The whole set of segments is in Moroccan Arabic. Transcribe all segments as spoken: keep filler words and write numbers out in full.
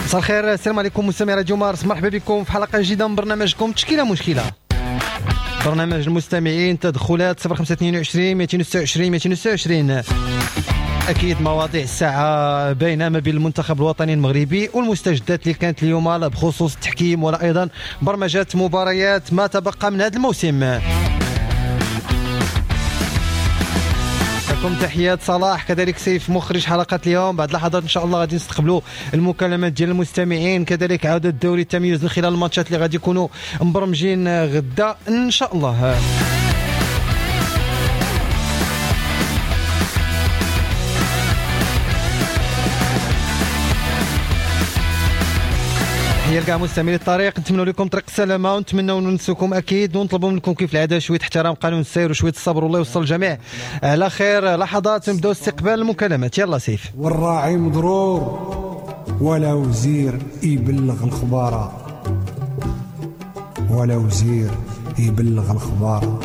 مساء الخير، السلام عليكم مستمعي راديو مارس، مرحبا بكم في حلقة جديدة من برنامجكم تشكيلة مشكلة. برنامج المستمعين، تدخلات صفر خمسة اثنين وعشرين مئتين وستة وعشرين مئتين وستة وعشرين. أكيد مواضيع الساعة باينة ما بين المنتخب الوطني المغربي والمستجدات اللي كانت اليوم لا بخصوص التحكيم ولا أيضا برمجة مباريات ما تبقى من هذا الموسم. لكم تحيات صلاح، كذلك سيف مخرج حلقة اليوم. بعد لحظات إن شاء الله غادي نستقبلوا المكالمات ديال المستمعين، كذلك عودة الدوري التمييز من خلال الماتشات اللي غادي يكونوا مبرمجين غدا إن شاء الله. تحية لكاع مستمعي الطريق، نتمنوا لكم طريق السلامة ونتمنوا ننسوكم أكيد، ونطلبوا منكم كيف العادة شوية احترام قانون السير وشوية الصبر، والله يوصل الجميع على خير. لحظات نبداو استقبال المكالمات، يلا سيف. والراعي مضرور ولا وزير يبلغ الخبارة، ولا وزير يبلغ الخبارة.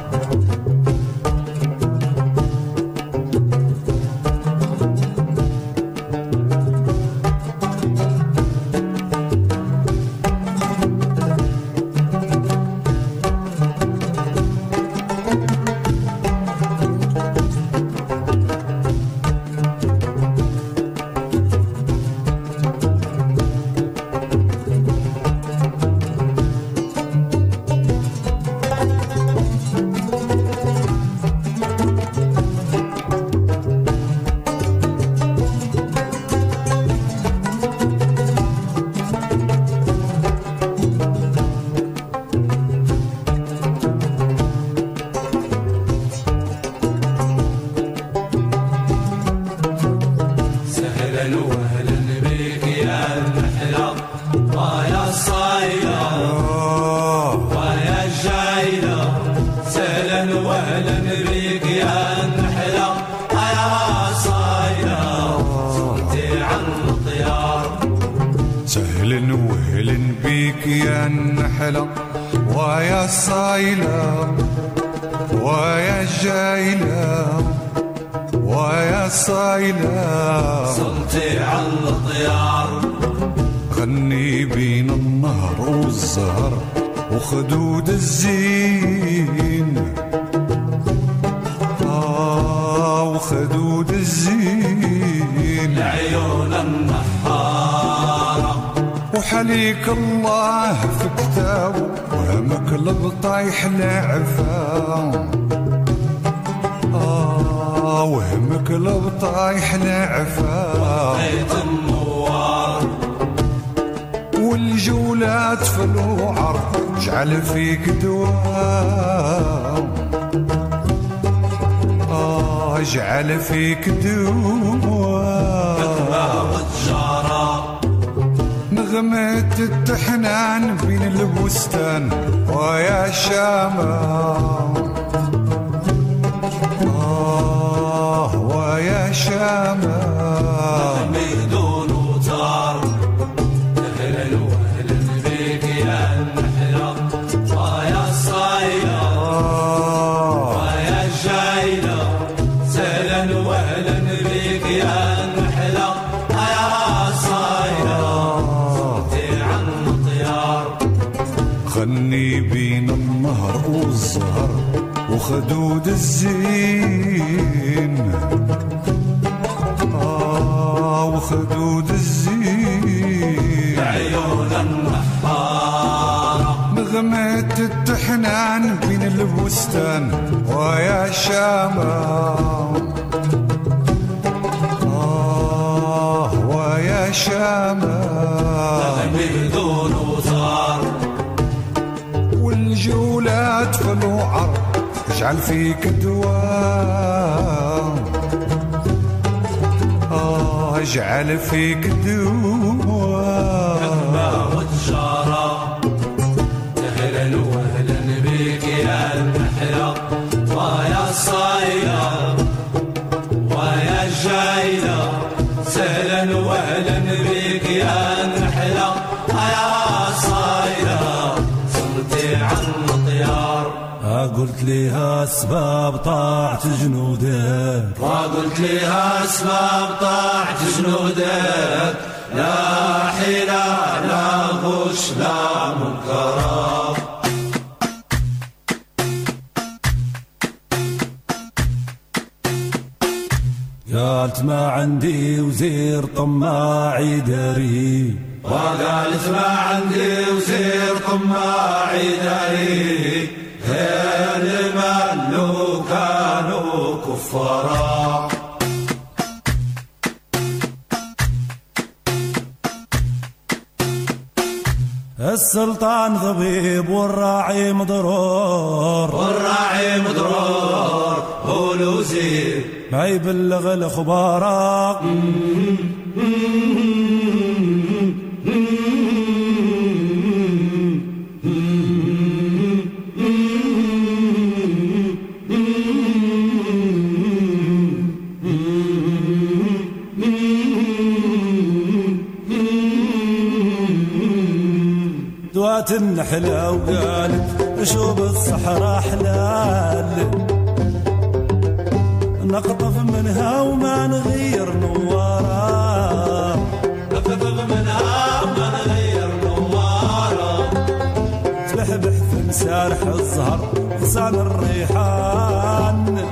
وخدود الزين، آه وخدود الزين، العيون النحارة. وحليك الله في كتابه وهمك البطايح العفا، آه وهمك البطايح العفا. وطيت النوار والجولات في الوعر جعل فيك دواء، آه جعل فيك دواء. حكمة وتجارة نغمة التحنان بين البستان ويا شامة، آه ويا شامة. غني بين النهر والزهر وخدود الزين، آه وخدود الزين، العيون النحارة. نغمة التحنان بين البستان ويا شامة، آه ويا شامة. بدون وزار والجولات في الوعر اجعل فيك دواء، آه اجعل فيك دواء. حكمة وتجارة أهلا وأهلا بك يا النحلة ويا الصايلة ويا الجايلة، سهلا وأهلا بك يا النحلة يا الصايلة. صلتي عن الطيار قلت ليها اسباب طاعة جنودك، وقلت ليها اسباب طاعة جنودك، لا حيلة شفنا منكرا. قالت ما عندي وزير طماعي داري، وقالت ما عندي وزير طماعي داري، غير ما لو كانوا كفارا. السلطان ضبيب والراعي مضرور، والراعي مضرور هو الوزير ما يبلغ الأخبار. دوات النحلة وقالت شوب الصحراء حلال، نقطف منها وما نغير نوارا، نقطف منها وما نغير نوارا، تبحبح في مسارح الزهر غصان الريحان،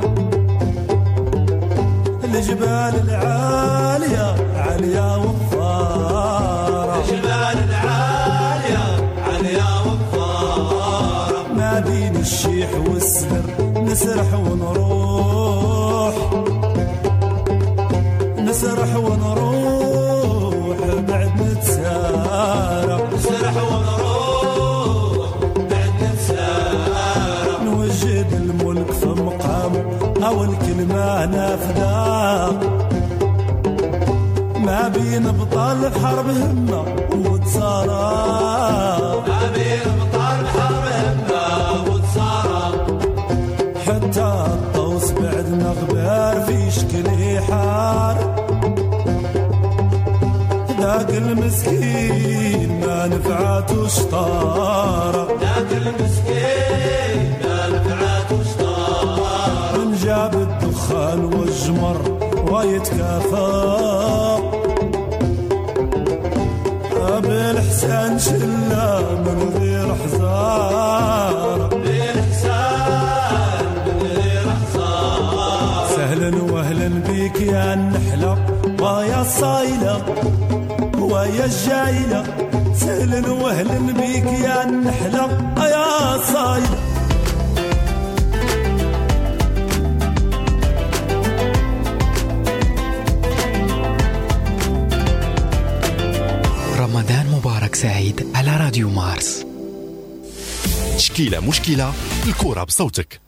الجبال العالية عالية وفارة، الجبال العالية عالية وفارة، ما بين الشيح والسدر نسرح ونروح، نسرح ونروح بعد نتسارع، نسرح ونروح بعد نتسارع، نوجد الملك في مقام أو الكلمة نافذة، ما بين بطال الحرب همة وتصارع، ما بين بطال الحرب همة وتصارع، حتى الطوس بعد مغبار في شكل حار، ذاك المسكين ما نفعته شطارة، ذاك المسكين ما نفعته شطارة، من جاب الدخان والجمر ويتكافى، بالحسان شلة من غير حزارة، بالحسان من غير حزارة، سهلا وأهلا بك يا النحلة ويا الصايلة ويا الجايلة، سهلا وأهلا بك يا النحلة يا الصايلة. رمضان مبارك سعيد على راديو مارس. تشكيلة مشكلة، الكرة بصوتك.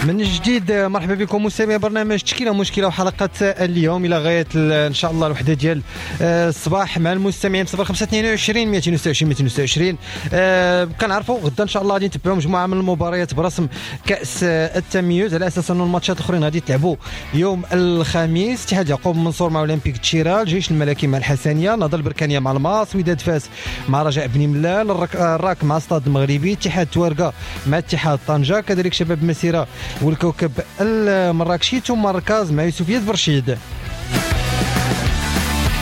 من جديد مرحبا بكم مستمعي برنامج تشكيله مشكلة وحلقه اليوم الى غاية ان شاء الله الوحدة ديال الصباح مع المستمعين صفر خمسة اثنين وعشرين مئتين وستة وعشرين مئتين وستة وعشرين. أه كنعرفوا غدا ان شاء الله غادي نتبعوا مجموعة من المباريات برسم كاس التميز على اساس انه الماتشات الاخرين غادي يتلعبوا يوم الخميس. اتحاد يعقوب منصور مع اولمبيك تشيرا، الجيش الملكي مع الحسنيه، نهضة البركانيه مع الماس، وداد فاس مع رجاء بني ملال، الراك مع استاد المغربي، اتحاد توارقه مع اتحاد طنجه، كذلك شباب مسيره والكوكب المراكشي، ثم مركز مع يوسفية برشيد.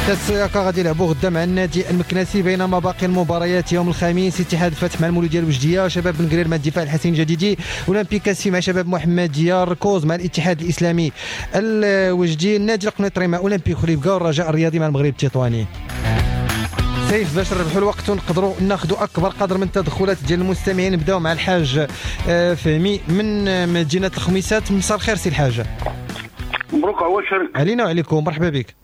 السياقة غادي يلعبوا غدا مع النادي المكناسي، بينما باقي المباريات يوم الخميس اتحاد الفتح مع المولودية الوجدية، شباب بن قرير مع الدفاع الحسين الجديدي، اولمبيك كاسفي مع شباب محمدية، الركوز مع الاتحاد الاسلامي الوجدي، النادي القنيطري مع اولمبيك خريبكا، والرجاء الرياضي مع المغرب التطواني. سيف باش نربحوا الوقت ونقدروا ناخذوا اكبر قدر من التدخلات ديال المستمعين، نبداو مع الحاج فهمي من مدينة الخميسات. مساء الخير سي الحاج. bonjour مبروك عواشرك. علينا وعليكم، مرحبا بك.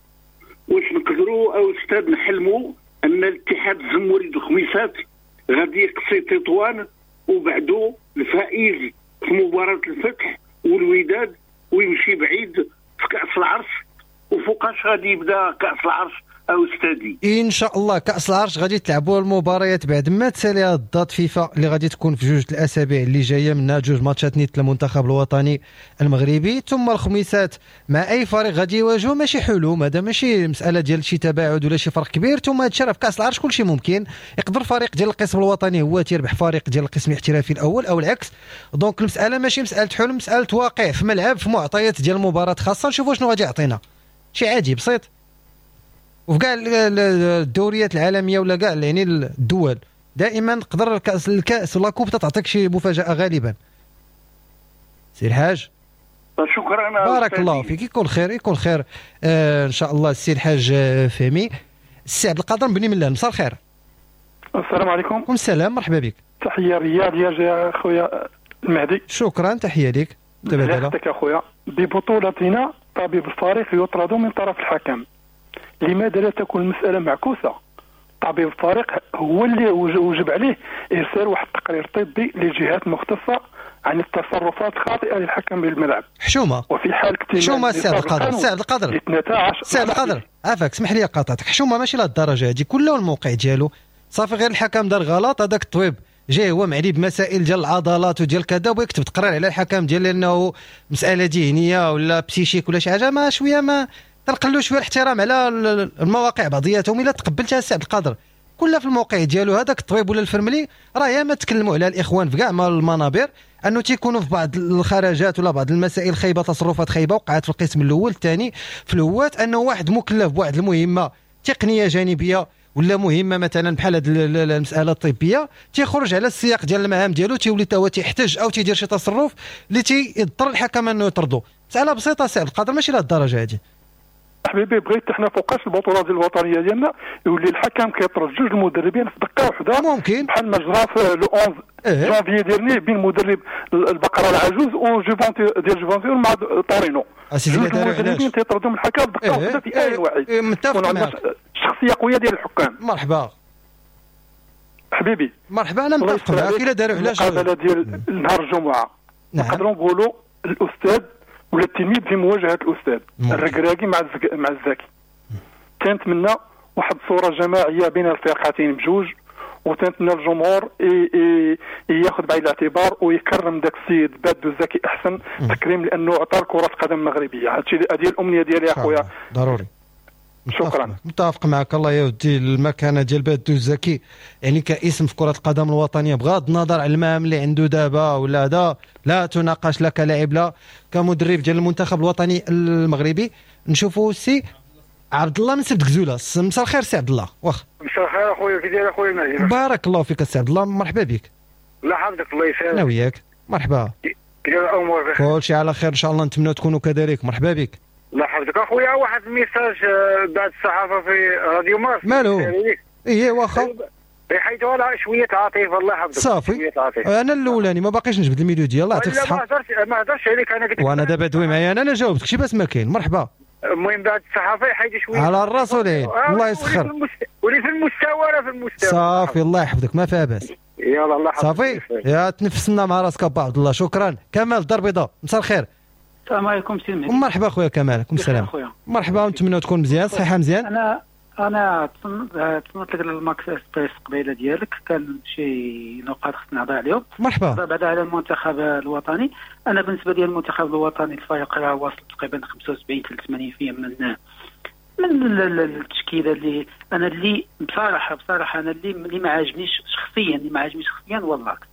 واش نقدروا او استاذ نحلموا ان الاتحاد الزموري الخميسات غادي يقصي تطوان وبعدو الفائز في مباراة الفتح والوداد ويمشي بعيد في كأس العرش؟ وفوقاش غادي يبدا كأس العرش او استاذي؟ ان شاء الله كأس العرش غادي تلعبوا المباريات بعد ما تسالي date فيفا اللي غادي تكون في جوج الاسابيع اللي جاية، منها جوج ماتشات نيت المنتخب الوطني المغربي، ثم الخميسات مع اي فريق غادي يواجهوا. ماشي حلم هذا، ماشي مسالة ديال شي تباعد ولا شي فرق كبير. ثم هادشي راه في كأس العرش كلشي ممكن، يقدر فريق ديال القسم الوطني هو تيربح فريق ديال القسم الاحترافي الاول او العكس. donc المسالة ماشي مسالة حلم، مسالة واقع في ملعب، في معطيات ديال المباراة خاصة. نشوفوا شنو غادي يعطينا، شي عادي بسيط. وفي كاع الدوريات العالمية ولا كاع يعني الدول دائما تقدر الكاس الكاس ولا coupe تعطيك شي مفاجاة غالبا. سي الحاج شكرا، بارك الله فيك، يكون خير يكون خير آه ان شاء الله. السي الحاج فهمي. السي عبد القادر بني ملال، مساء الخير. السلام عليكم. وعليكم السلام، مرحبا بك. تحية رياضية يا خويا المهدي. شكرا، تحية لك. تبادل اخويا. ببطولتنا طبيب الفريق يطرد من طرف الحكم، لماذا لا تكون المسألة معكوسة؟ طبيب الفريق هو اللي وجب عليه إرسال واحد التقرير طبي للجهات المختصة عن التصرفات الخاطئة للحكم بالملعب. حشومة. وفي حال اكتمال حشومة السي عبد القادر، السي عبد القادر، السي عبد القادر عافاك اسمح لي قاطعتك. حشومة ماشي لهاد الدرجة هادي، كله الموقع ديالو صافي، غير الحكم دار غلط، هذاك الطبيب جاي هو معني بمسائل ديال العضلات وديال كذا ويكتب تقرير على الحكم ديال لانه مسألة ذهنية ولا psychique ولا شي حاجة، ما شوية ما تنقلوا شوية الاحترام على المواقع بعضياتهم. الا تقبلتها السي عبد القادر كلها في الموقع ديالو، هذاك الطبيب ولا الفرملي راه ياما تكلموا على الاخوان في كاع المنابر انه تيكونوا في بعض الخرجات ولا بعض المسائل خايبة، تصرفات خايبة وقعت في القسم الاول الثاني في الهوات، انه واحد مكلف بواحد المهمة تقنية جانبيه ولا مهمة مثلا بحال هذه المسالة الطبية، تيخرج على السياق ديال المهام ديالو، تيولي تا هو تيحتج او تيدير شي تصرف اللي تيضطر الحكم انه يطردو. مسالة بسيطة سي عبد القادر، ماشي لهاد الدرجة هذه. حبيبي بغيت حنا فوقاش البطولة ديال الوطنية ديالنا يولي الحكم كيطرد جوج المدربين في دقه واحدة، ممكن بحال ما جرى في le أحد عشر جانفي ديالني بين مدرب البقرة العجوز وجوفونتي ديال جوفونتي مع طورينو. جوج المدربين تيطردوا الحكم في دقه واحدة في آن واحد. متفق معاك، شخصية قوية ديال الحكام. مرحبا حبيبي، مرحبا، انا متفق معاك. الا داروا علاش المقابلة ديال نهار الجمعة نقدروا نقولوا الاستاذ ولا التلميذ في مواجهة الاستاذ الركراكي مع الزك... مع الزكي. تنتمنى واحد الصورة جماعية بين الفرقتين بجوج، وتنتمنى الجمهور ي... ي... ياخذ بعين الاعتبار ويكرم داك السيد بادو الزكي احسن تكريم، لانه عطى كره القدم المغربية. هادشي هذه الامنية ديالي يا خويا. ضروري. شكرا. متفق معك. الله يودي المكانة ديال بادو الزكي يعني كاسم في كره القدم الوطنية، بغض النظر على المهام اللي عنده دابا ولا هذا، لا تناقش لا كلاعب لا كمدرب ديال المنتخب الوطني المغربي. نشوفوا سي عبد الله من سبت كزوله. مساء الخير سي عبد الله. واخ مساء الخير اخويا، كي داير اخويا المهدي؟ بارك الله فيك سي عبد الله، مرحبا بك. الله يحفظك، الله يسلمك. انا وياك مرحبا. كي داير الامور؟ كلشي على خير ان شاء الله، نتمنى تكونوا كذلك. مرحبا بك. الله يحفظك اخويا. واحد ال message بعد الصحافة في راديو مارس. مالو؟ ايه واخا يحيدوا لها شوية عاطفة. الله يحفظك. صافي انا الاولاني ما باقيش نجبد ال milieu ديال الله يعطيك الصحة. ما هضرتش ما هضرتش عليك انا، قلت وانا دابا دوي معايا انا انا جاوبتك شي باس ما كاين. مرحبا. المهم بعد الصحافة يحيدوا شوية على الراس والعين. الله يسخر. ولي في المستوى راه في المستوى. صافي الله يحفظك، ما فيها باس. يلا الله يحفظك. صافي يا تنفسنا مع راسك ابا عبد الله. شكرا. كمال الدار البيضاء، مساء الخير. السلام عليكم سي المهدي. مرحبا خويا كمال. عليكم السلام. مرحبا، ونتمنى تكون مزيان، صحة مزيان. انا انا تصنت لك الماكس اسبريس قبيلة ديالك، كان شي نقاط خصنا نهضر عليهم. مرحبا. بعدا على المنتخب الوطني، انا بالنسبة لي المنتخب الوطني الفريق راه واصل تقريبا خمسة وسبعين حتى ثمانين بالمئة من من التشكيلة اللي انا اللي بصراحة بصراحة انا اللي اللي ما عاجبنيش شخصيا، اللي ما عاجبنيش شخصيا هو l'axe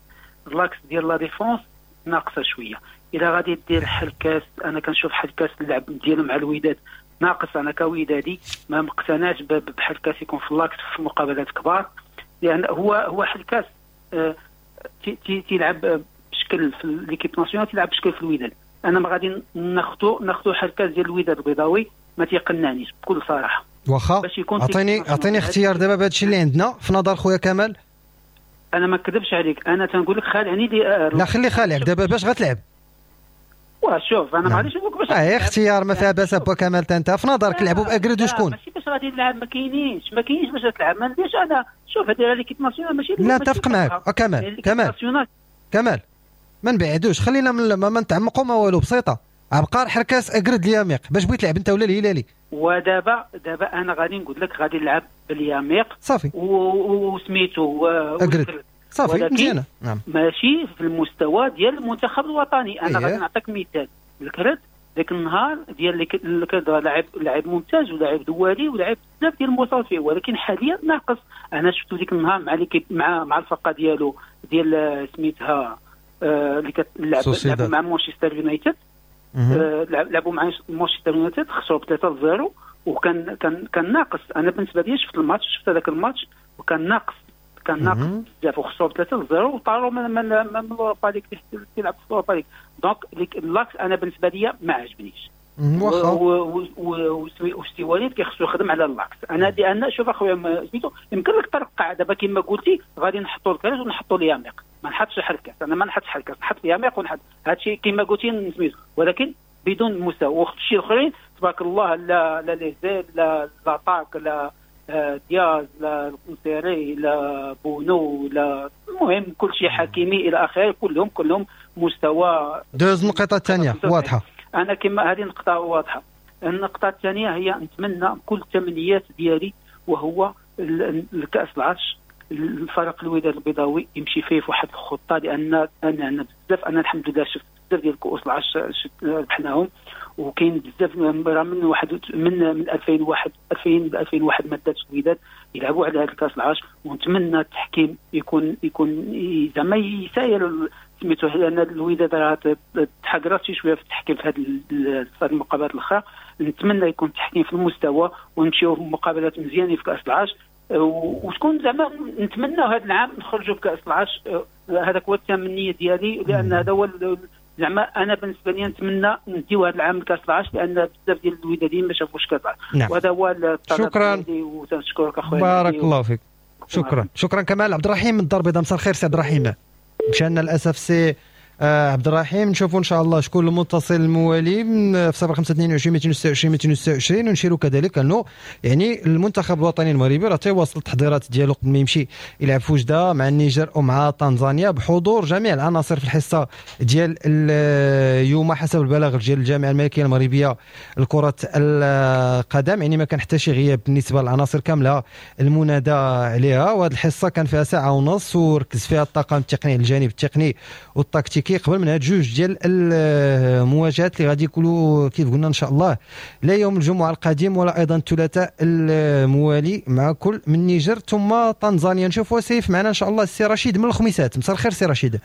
l'axe ديال la défense ناقصه شوية. الا غادي دير حلكاس، انا كنشوف حلكاس اللعب ديالو مع الوداد ناقص. انا كودادي ما مقتنعش بحلكاس يكون في l'axe في مقابلات كبار، لان هو هو حلكاس آه تيلعب بشكل في l'équipe nationale، تيلعب بشكل في الوداد. انا ما غادي ناخذو ناخذو حلكاس ديال الوداد البيضاوي ما تيقنعنيش بكل صراحة. واخا عطيني عطيني اختيار دابا بهذا الشيء اللي عندنا في نظر خويا كمال. انا ما نكذبش عليك، انا تنقول لك خالعني لي. لا خلي خالعك دابا باش غتلعب. وشوف انا ما غاديش نقول لك باش اه اختيار ما فيها باس با كمال. انت في نظرك لعبوا باكرد وشكون؟ ماشي باش غادي نلعب، ما كاينينش ما كاينينش باش تلعب، ما نديرش انا. شوف هذه l'équipe nationale ماشي لا اتفق معاك كمال. كمال كمال ما نبعدوش، خلينا من ما نتعمقوا ما والو، بسيطة. عبقار حركاس اكرد الياميق، باش بغيت تلعب انت ولا الهلالي؟ ودابا دابا انا غادي نقول لك غادي نلعب بالياميق صافي وسميتو اكرد صافي مزيانه. نعم ماشي في المستوى ديال المنتخب الوطني. انا غادي نعطيك مثال، الكرد ذاك النهار ديال الكرد لاعب لاعب ممتاز ولاعب دولي ولاعب بزاف ديال المواصفات فيه، ولكن حاليا ناقص. انا شفتو ديك النهار مع l'équipe مع مع الفرقة ديالو ديال سميتها اللي كتلعب مع مانشستر يونايتد، لعبوا مع مانشستر يونايتد خسروا بثلاثة لصفر، وكان كان كان ناقص. انا بالنسبة لي شفت الماتش، شفت هذاك الماتش وكان ناقص، كان ناقص بزاف، وخسروا بثلاثة لصفر وطاروا من من من l'Europa League تيلعب في l'Europa League. donc l'axe انا بالنسبة لي ما عجبنيش. وسي وليد كيخصو يخدم على l'axe. انا لان شوف اخويا سميتو يمكن لك ترقع دابا كما قلتي، غادي نحطوا الكراج ونحطوا الياميق، ما نحطش الحركات. انا ما نحطش الحركات، نحط الياميق ونحط هادشي كما قلتي سميتو، ولكن بدون مستوى. وشي الاخرين تبارك الله، لا لا les ailes، لا l'attaque، لا دياز، لا القنصيري، لا بونو، لا المهم كل شيء حكيمي الى اخره، كلهم كلهم مستوى. دوز النقطة الثانية واضحة. انا كما هذه نقطة واضحة. النقطة الثانية هي نتمنى كل التمنيات ديالي وهو الكاس العرش، الفريق الوداد البيضاوي يمشي فيه في واحد الخطة، لان انا بزاف انا الحمد لله شفت بزاف ديال كؤوس العرش ربحناهم، وكاين بزاف راه من واحد من من ألفين وواحد ألفين وواحد ما داتش الوداد يلعبوا على هذا الكاس العرش. ونتمنى التحكيم يكون يكون زعما يساير سميتو، لان الوداد راه تحقرات شي شوية في التحكيم في هذه المقابلات الاخرى. نتمنى يكون التحكيم في المستوى ونمشيو في مقابلات مزيانه في كاس العرش، وتكون زعما نتمنى هذا العام نخرجوا بكاس العرش. هذاك هو التمنية ديالي، لان هذا هو زعما انا بالنسبة لي نتمنى نديو هذا العام كاس العرش، لان بزاف ديال الوداديين ما شافوش كاس العرش. نعم. وهذا هو الطلب. شكرا وتنشكرك اخويا، بارك الله فيك. شكرا شكرا كمال. عبد الرحيم من الدار البيضاء، مساء الخير سي عبد الرحيم. مشى لنا للاسف سي آه عبد الرحيم. نشوفوا ان شاء الله شكون المتصل الموالي في صفر خمسة اثنين وعشرين مئتين وستة وعشرين مئتين وستة وعشرين. ونشيروا كذلك انه يعني المنتخب الوطني المغربي راه تيواصل التحضيرات ديالو قبل ما يمشي يلعب في وجده مع النيجر ومع تنزانيا بحضور جميع العناصر في الحصة ديال اليوم حسب البلاغ ديال الجامعة الملكية المغربية لكرة القدم. يعني ما كان حتى شي غياب بالنسبة للعناصر كاملة المنادى عليها. وهذه الحصة كان فيها ساعة ونص وركز فيها الطاقم التقني الجانب التقني والتكتيكي قبل من هاد جوج ديال المواجهات اللي غادي يكونوا كيف قلنا ان شاء الله لا يوم الجمعة القادم ولا ايضا الثلاثاء الموالي مع كل من النيجر ثم تنزانيا. نشوفوا سيف معنا ان شاء الله السي رشيد من الخميسات. مساء الخير سي رشيد.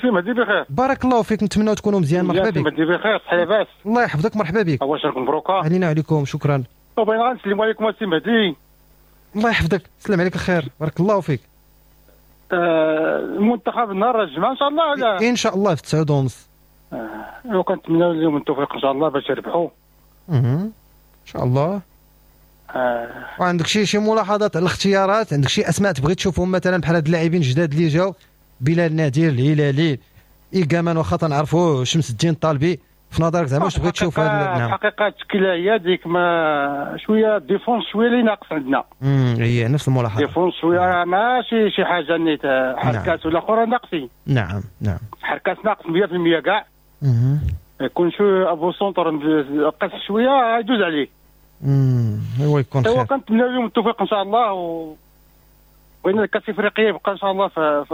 سي مهدي بخير، بارك الله فيك، نتمنى تكونوا مزيان. مرحبا بك. مهدي بخير، صحة لاباس؟ الله يحفظك، مرحبا بك. عواشركم مبروكه. علينا وعليكم، شكرا. وبغينا غنسلموا عليكم السي مهدي. الله يحفظك، سلام عليك الخير، بارك الله فيك. المنتخب نهار الجمعة ان شاء الله ولا؟ ان شاء الله في تسعة ونص. اه وكنتمناو لهم التوفيق ان شاء الله باش يربحوا. اها ان شاء الله. آه. وعندك شي شي ملاحظات على الاختيارات؟ عندك شي اسماء تبغي تشوفهم مثلا بحال هاد اللاعبين الجداد اللي جاو، بلال نادر، الهلالي، إيكامان واخا تنعرفوه، شمس الدين الطالبي، في نظرك زعما واش تبغي تشوف هاد؟ نعم. الحقيقة التشكيلة هي ديك ما شوية défense شوية اللي ناقص عندنا. امم هي نفس الملاحظة، défense شوية ماشي شي حاجة نيت حركات ولا اخرى ناقصين. نعم نعم، حركات ناقص مية في المية كاع. يكون شو avant-centre قص شوية يدوز عليه. امم هو يكون خير. كنتمنى لهم التوفيق ان شاء الله، و بغينا الكاس الافريقية يبقى ان شاء الله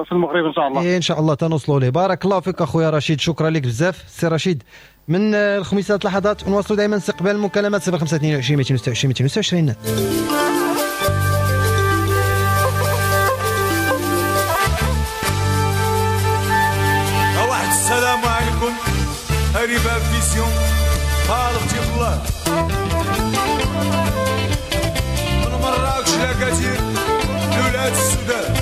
في المغرب ان شاء الله. إيه ان شاء الله تنوصلوا ليه. بارك الله فيك اخويا رشيد، شكرا لك بزاف سي رشيد. من الخميسات لحظات ونواصلوا دائما استقبال المكالمات صفر خمسة اثنين وعشرين مئتين وستة وعشرين مئتين وستة وعشرين. واحد السلام عليكم، هريبه فيسيون طالبتي بالله من مراكش لكثير لولاد السودان.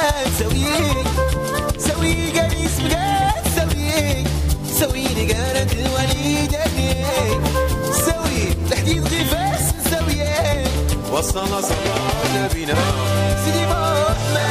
فلان سوي سوي قريس بقات سوي سوي نقارة الوليدة سوي الحديد غفاس سوي وصلنا صلاة نبينا سيدي محمد.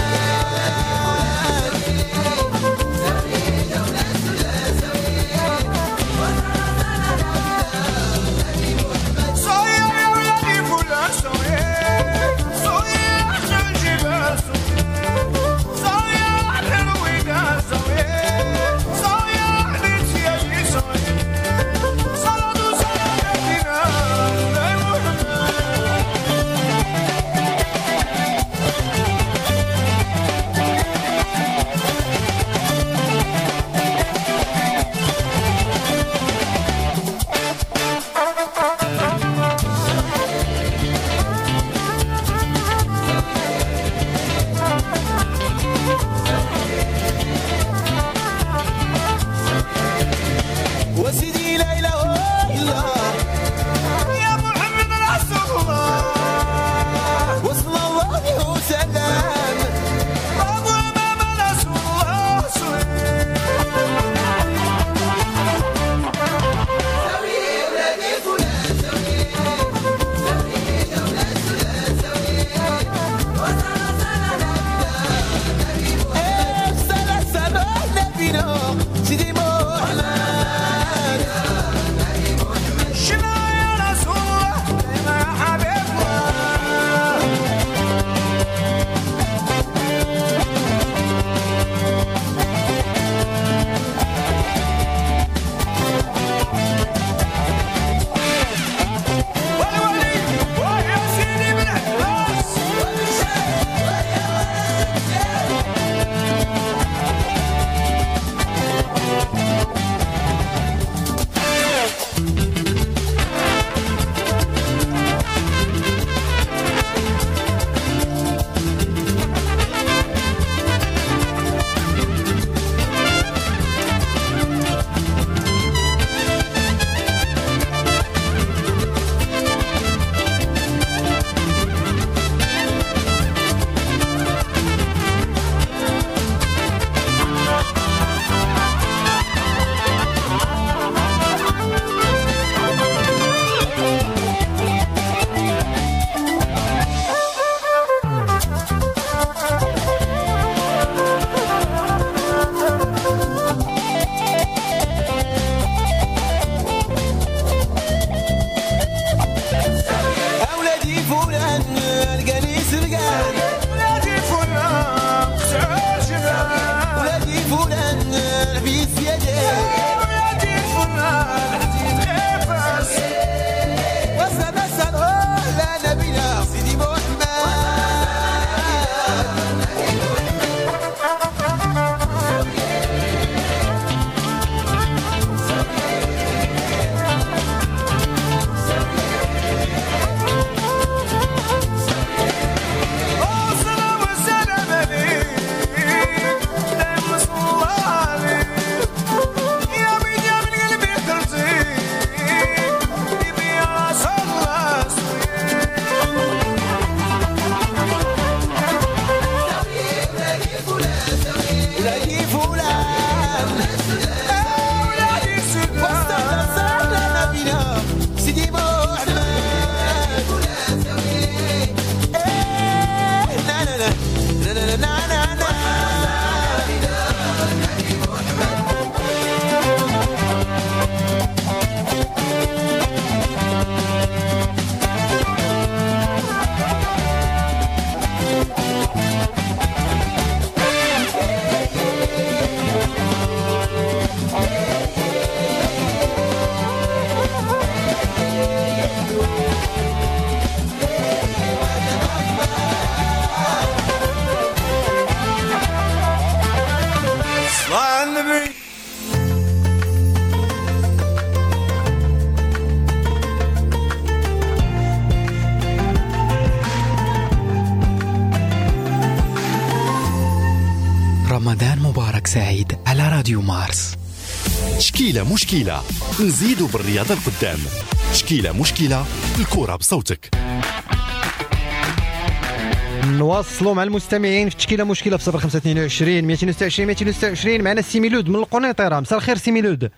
رمضان مبارك سعيد على راديو مارس. تشكيلة مشكلة، نزيدوا بالرياضة القدام. تشكيلة مشكلة، الكرة بصوتك. نواصلوا مع المستمعين في تشكيله مشكلة في صفر خمسة اثنين وعشرين مئتين وستة وعشرين مئتين وستة وعشرين. معنا السي ميلود من القنيطره. مساء الخير سي ميلود.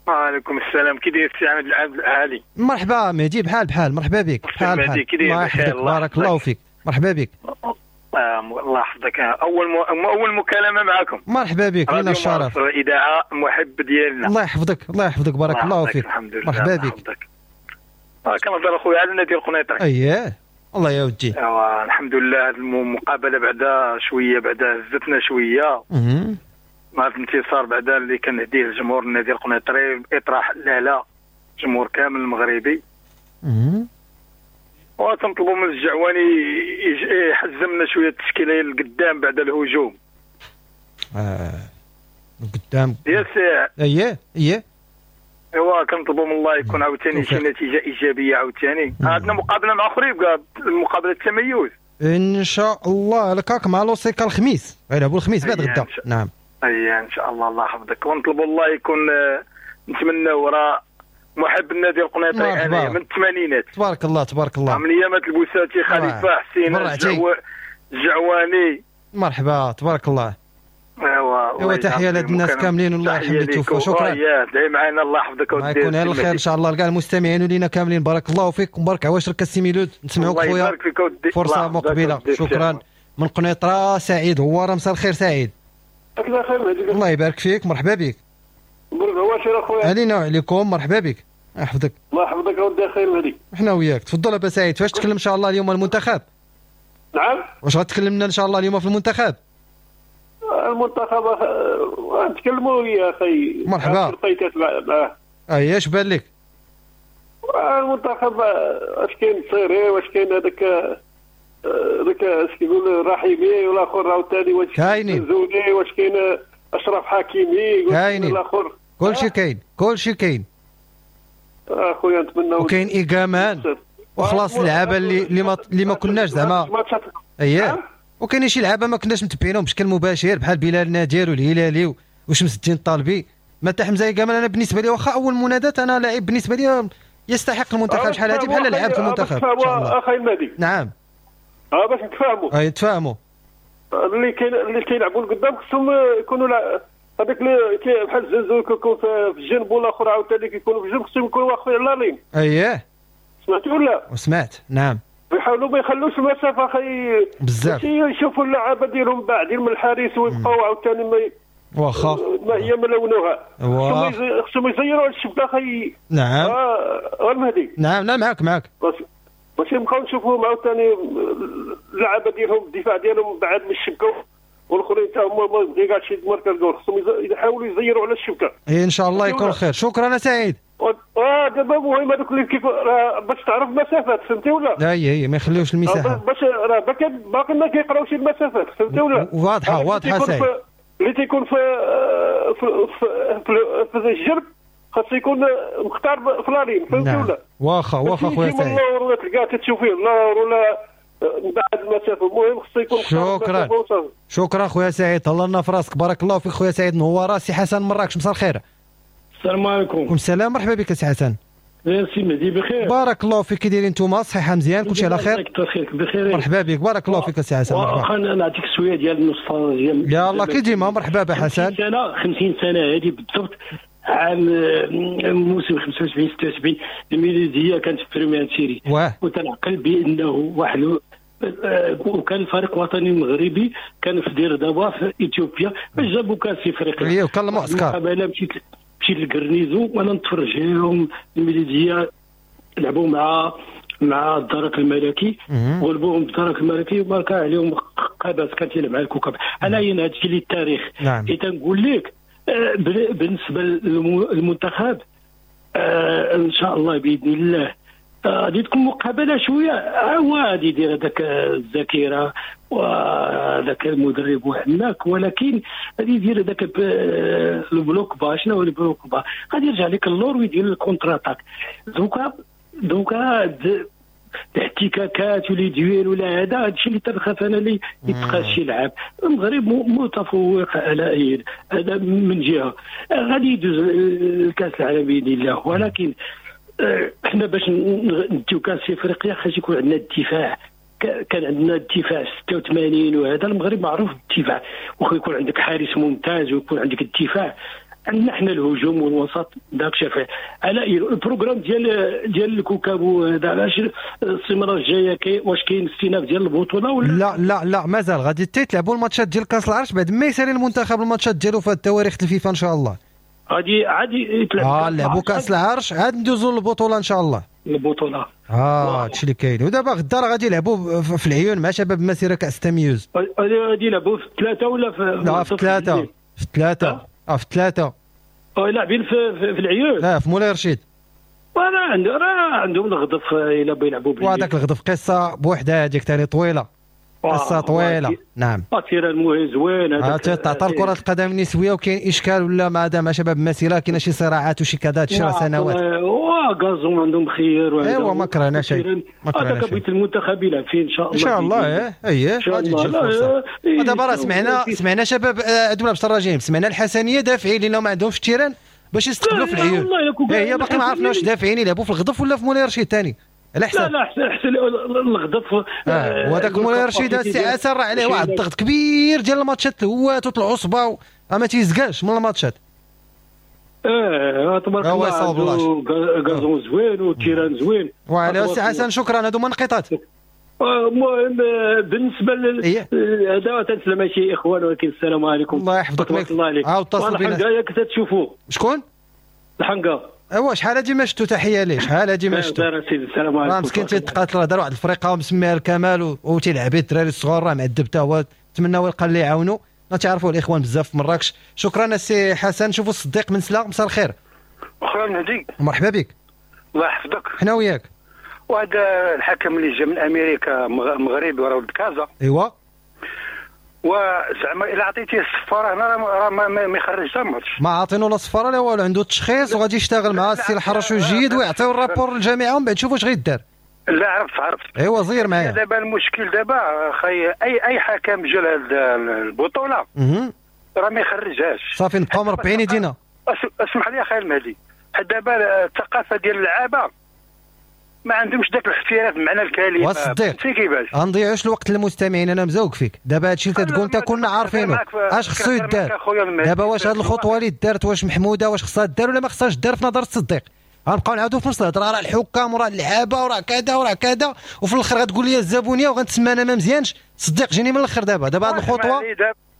وعليكم السلام، كي داير السي عماد العبد العالي؟ مرحبا مهدي، بحال بحال، مرحبا بك. بحال بحال، الله يحفظك، بارك الله فيك، مرحبا بك. الله يحفظك. اول م... اول مكالمة معكم. مرحبا بك، لنا الشرف. اذاعة محب ديالنا. الله يحفظك، الله يحفظك، بارك الله فيك. الحمد لله، مرحبا بك. كنهضر اخويا على النادي القنيطري. اييه الله يا ودي. ايوا الحمد لله، هذه المقابلة بعدا شوية، بعدا هزتنا شوية مع الانتصار بعدا اللي كنهديه لجمهور النادي القنيطري، اطراح لا لا الجمهور كامل المغربي. وتنطلبوا من الجعواني يحزمنا شوية التشكيلة لقدام بعد الهجوم. اه قدام يا سي. اييه اييه ايوا كنطلبوا من الله يكون عاوتاني شي نتيجة ايجابية عاوتاني. عندنا مقابله مع خريبكة، مقابله التميز ان شاء الله، الكاك مع لوسيكا الخميس، غيلعبوا الخميس بعد غدا. نعم اي ان شاء الله، الله يحفظك. ونطلبوا الله يكون، نتمناو راه محب النادي القنيطري انا من الثمانينات. تبارك الله تبارك الله. من ايامات البوساتي، خليفة حسين الجعواني. مرحبا تبارك الله. ايوا ايوا تحية لهاد الناس كاملين والله يرحم اللي توفوا. شكرا. دعي معنا الله يحفظك ودي يكون على الخير ان شاء الله لكاع المستمعين ولينا كاملين. بارك الله فيك ومبارك عواشرك السي ميلود. نسمعوك خويا فرصة مقبله. شكرا. من قنيطره سعيد هو. مساء الخير سعيد. الله يبارك فيك، مرحبا بك. مبروك عواشر اخويا. علينا وعليكم، مرحبا بك. الله يحفظك. الله يحفظك اودي خير مهدي. حنا وياك. تفضل ابا سعيد، فاش تكلم ان شاء الله اليوم المنتخب؟ نعم. واش غتكلمنا ان شاء الله اليوم في المنتخب؟ المنتخب نتكلموا يا اخي. مرحبا. معاه. اي اش بان لك؟ المنتخب اش كاين صيري، واش كاين هذاك هذاك اش كيقول رحيمي والاخر عاوتاني، واش كاينين زوني، واش كاين اشرف حكيمي، كاينين الاخر، كلشي كاين، كلشي كاين اخويا. نتمنى وكاين ايكامان وخلاص اللعابه اللي اللي ما اللي ما كناش زعما. اييه وكاين شي لعابه ما كناش متبعينهم بشكل مباشر بحال بلال نادر والهلالي وشمس الدين الطالبي. ما حتى حمزة ايكامان انا بالنسبة لي واخا اول منادات انا لاعب بالنسبة لي يستحق المنتخب شحال هادي بحال لعب في المنتخب. اخي المهدي. نعم. اه باش نتفاهموا. اي نتفاهموا. اللي كاين اللي كيلعبوا لقدام خصهم يكونوا هذاك اللي بحال الزنزول كيكون في الجنب والاخر عاوتاني كيكونوا في الجنب، خصهم يكونوا واقفين على ligne. اييه سمعتي ولا؟ وسمعت. نعم. يحاولوا ما يخلوش المسافة اخي بزاف، يشوفوا اللعابه ديالهم بعدين من الحارس ويبقاو عاوتاني ما واخا ما هي ملونوها. خصهم يزيروا على الشبكة اخي. نعم. اه المهدي. نعم لا معاك معاك. باش نبقاو نشوفوهم عاوتاني اللعابه ديالهم الدفاع ديالهم بعد من الشبكة والاخرين حتى هما ما كاع شي marquer goal، خصهم يحاولوا يزيروا على الشبكة. ان شاء الله يكون خير. شكرا سعيد. اه دابا المهم هذوك اللي كيف باش تعرف المسافات، فهمتي ولا؟ اي اي ما يخليوش المساحة باش راه باقي باقي ما كيقراوش المسافات، فهمتي ولا؟ واضحة واضحة سعيد. اللي تيكون في في في, في الجنب خاص يكون مختار في la ligne، فهمتي ولا؟ واخا واخا خويا سعيد. ولا تلقاه تشوف فيه النار ولا من بعد المسافة، المهم خصو يكون. شكرا شكرا خويا سعيد، تهلا لنا في راسك. بارك الله فيك خويا سعيد. نواره سي حسن مراكش. مساء الخير. السلام عليكم. السلام، مرحبا بك سي حسن. سي مهدي بخير. بارك الله فيك. كي دايرين نتوما؟ صحيحه مزيان، كلشي على خير؟ بخير بخير. مرحبا بك، بارك الله فيك سي حسن. مرحبا. واخا نعطيك شوية ديال النوستالجيا. يلاه كي ديما. مرحبا بحسن. خمسين سنة خمسين سنة هذه بالضبط، عام موسم خمسة وسبعين ستة وسبعين الميلوديه كانت في première série، وتنعقل بانه واحد وكان الفريق الوطني المغربي كان في دير دابا في اثيوبيا باش جابوا كاس افريقيا. ايوا كان المعسكر. انا مشيت مشيت لل garnison وانا نتفرج لهم الميلوديه لعبوا مع مع الدرك الملكي، غلبوهم بالدرك الملكي وماركا عليهم قاباس كان تيلعب مع الكوكب. انا هنا هادشي اللي التاريخ. نعم. تنقول لك بالنسبة للمنتخب آه ان شاء الله باذن الله غادي آه تكون مقابله شوية. هو غادي يدير هذاك الذاكرة وهذاك المدرب وحناك، ولكن غادي يدير هذاك ال bloc bas. شنو هو ال bloc bas؟ غادي يرجع لك اللور ويدير ال contre-attaque. دوكا دوكا الاحتكاكات و les duels ولا هذا هادشي اللي تنخاف انا اللي يتقاس شي لعاب. المغرب متفوق على اي هذا من جهة، غادي يدوز الكاس العالم باذن الله، ولكن حنا باش نديو كاس افريقيا خاص يكون عندنا الدفاع كان عندنا الدفاع ستة وثمانين، وهذا المغرب معروف بالدفاع، واخا يكون عندك حارس ممتاز ويكون عندك الدفاع، عندنا حنا الهجوم والوسط داك الشيء. على ال programme ديال ديال الكوكب هذا علاش السيمانة الجاية كاين، واش كاين استئناف ديال البطولة ولا لا؟ لا لا مازال غادي تيتلعبوا الماتشات ديال كاس العرش بعد ما يسالي المنتخب الماتشات ديالو في التواريخ الفيفا ان شاء الله. غادي عادي يتلعب اه لعبوا كاس العرش عاد ندوزوا للبطولة ان شاء الله. البطولة اه هادشي اللي كاين. ودابا غدا راه غادي يلعبوا في العيون مع شباب مسيره كاس التمييز. غادي يلعبوا في ثلاثة ولا في لا في ثلاثة في ثلاثة اه في ثلاثة اه لاعبين في, في, في العيون. لا في مولاي رشيد. راه عندهم راه عندهم الغضف الا بغاو يلعبوا بالليل. وهذاك الغضف قصة بوحدها هذيك ثاني طويلة، قصة طويلة. نعم terrain المهم زوين هذاك تعطى كره القدم النسوية وكاين اشكال ولا مع مع شباب المسيرة كاين شي صراعات وشي كذا شي سنوات. وا gazon عندهم خير. ايوا ما كرهنا شيء، ما كرهنا شيء. هذاك بغيت المنتخب يلعب فيه ان شاء الله. ان شاء الله ايه ايه غادي تجي الفرصة. دابا راه سمعنا سمعنا شباب عندهم لابس الرجيم، سمعنا الحسنيه دافعين لانهم ما عندهمش terrain باش يستقبلوا في العيون. هي باقي ما عرفنا واش دافعين يلعبوا في الغضف ولا في مولاي رشيد ثاني. على حساب. لا لا احسن احسن الغضف. آه وهذاك مولاي رشيد السي عسل راه عليه واحد الضغط كبير ديال الماتشات الهوات والعصبه ما تيزكاش من الماتشات. اه تبارك الله gazon زوين وال terrain زوين. وعلى السي حسن شكرا، هادو منقطات. المهم بالنسبة هذا تنسلم شي اخوان، ولكن السلام عليكم. الله يحفظك. تبارك الله عليك. عاود اتصل بينا. الحنقه كنت تشوفوا شكون؟ الحنقه. ايوا شحال هادي ما شفتو، تحية ليه شحال هادي ما شفتو. السلام عليكم. راه مسكين تيتقاتل، راه دار واحد الفريقه ومسميها الكمال وتيلعب به الدراري الصغار، راه معذب حتى هو، نتمناو يلقى اللي يعاونو. تعرفوا الاخوان بزاف في مراكش. شكرا السي حسن. شوفوا الصديق من سلا، مساء الخير. اخويا مهدي مرحبا بك. الله يحفظك. حنا وياك. وهذا الحكم اللي جا من امريكا مغربي وراه ولد كازا. ايوا وزعما الا عطيتيه الصفاره هنا راه ما, ما يخرجش حتى ماتش. ما عاطينو لا صفارة لا والو، عنده التشخيص وغادي يشتغل مع السي الحرش الجيد ويعطيو ال rapport للجامعة ومن بعد نشوفوا واش غيدار. لا عرفت عرفت. ايوا زير معايا. دابا المشكل دابا خي اي اي حكم جا لهاد البطولة راه ما يخرجهاش. صافي نبقاو مربعين يدينا. اسمح لي اخي المهدي، حيت دابا الثقافة ديال اللعابه ما عندهمش ذاك الاحتراف بمعنى الكلمة. والصديق غنضيعوش الوقت للمستمعين، انا مزوق فيك دابا هادشي اللي تتقول انت كنا عارفينه. اش خصو يدار دابا؟ واش هاد الخطوة اللي دارت واش محمودة، واش خصها دار ولا ما خصهاش دار في نظر الصديق؟ غنبقاو نعاودو في نفس الهضرة، راه الحكام وراه اللعابه وراه كذا وراه كذا، وفي الاخر غتقول لي الزبونيه وغنتسمى انا ما مزيانش. صديق جيني من الاخر دابا. دابا هاد الخطوة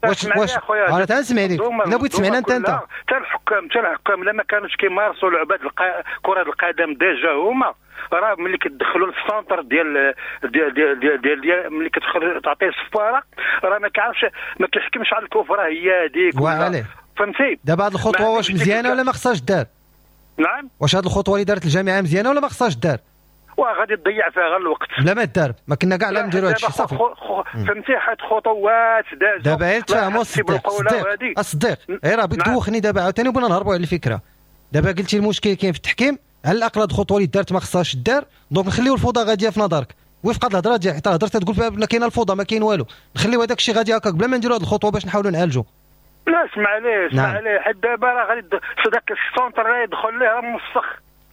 واش واش انا تنسمع لك، الا بغيت تسمعنا انت انت حتى الحكام حتى الحكام لما كانوش كيمارسوا لعبات كره القدم déjà هما راه ملي كتدخلوا لل centre ديال ديال ديال ديال, ديال, ديال ملي كتدخل تعطيه الصفاره راه ما كيعرفش، ما كيحكمش على الكفرة هي هذيك. فهمتي؟ دابا هاد الخطوة واش مزيانه ولا ما خصهاش دار؟ نعم. واش هاد الخطوة اللي دارت الجامعة مزيانه ولا ما خصهاش دار؟ وغادي تضيع فيها غير الوقت. لا ما دار، ما كنا كاع لا نديروا هادشي صافي. فهمتي؟ حيت خطوات دازوا دابا غير تفاهموا الصديق. الصديق الصديق غير راه دوخني دابا عاوتاني وبغينا نهربوا على الفكرة. دابا قلتي المشكل كاين في التحكيم، على الاقل هاد الخطوة اللي دارت ما خصهاش دار، donc نخليو الفوضى غادية في نظرك. وفق هاد الهضرة ديال حتى هضرت تقول فيها كاينه الفوضى ما كاين والو، نخليو هذاك الشيء غادي هكاك بلا ما نديروا هاد الخطوة باش نحاولوا نعالجوا. لا اسمع ليه اسمع ليه، حيت دابا راه غادي داك ال centre راه يدخل ليه راه موسخ.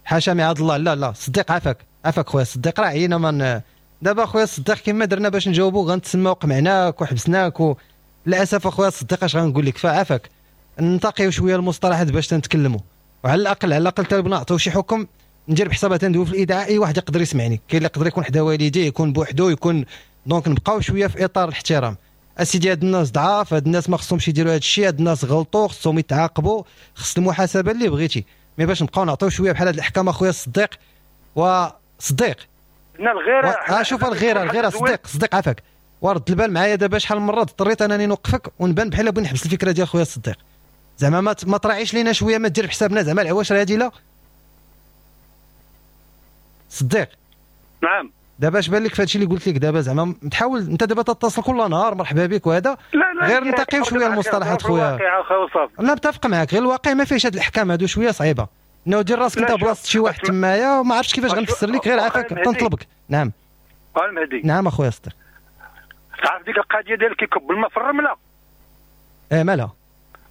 حاشا معاذ الله. لا لا صديق عافاك عافاك خويا الصديق، راه عينا من دابا خويا الصديق كما درنا باش نجاوبو غنتسماو قمعناك وحبسناك و... للاسف اخويا الصديق اش غنقول لك، فعافاك ننتقيو شوية المصطلحات باش تنتكلموا، وعلى الاقل على الاقل حتى نعطيو شي حكم ندير بحسابها تندوي في الاذاعة اي واحد يقدر يسمعني، كاين اللي يقدر يكون حدا والديه يكون بوحدو يكون، donc نبقاو شوية في اطار الاحترام. اسيدي هاد الناس ضعاف، هاد الناس ما خصهمش يديروا هاد الشيء، هاد الناس غلطوا خصهم يتعاقبوا، خص المحاسبة اللي بغيتي، mais باش نبقاو نعطيو شوية بحال هاد الاحكام اخويا الصديق. وصديق الغيرة و... شوف الغيرة الغيرة صديق صديق عافاك ورد البال معايا دابا. شحال من مرة اضطريت انني نوقفك ونبان بحال بغيت نحبس الفكرة ديال خويا الصديق، زعما ما ما تراعيش لينا شوية، ما دير بحسابنا زعما العواشر هادي. لا صديق. نعم. دابا اش بان لك في هادشي اللي قلت لك دابا؟ زعما تحاول انت دابا تتصل كل نهار مرحبا بك وهذا، غير نتقيو شوية المصطلحات خويا. لا متفق معاك، غير الواقع ما فيهش هاد الاحكام هادو شوية صعيبة، انه دير راسك انت بلاصة شي واحد تمايا وما عرفتش كيفاش غنفسر لك، غير عافاك تنطلبك. نعم. المهدي. نعم اخويا صديق. تعرف ديك القضية ديال كيكب الماء في الرملة؟ اه مالها؟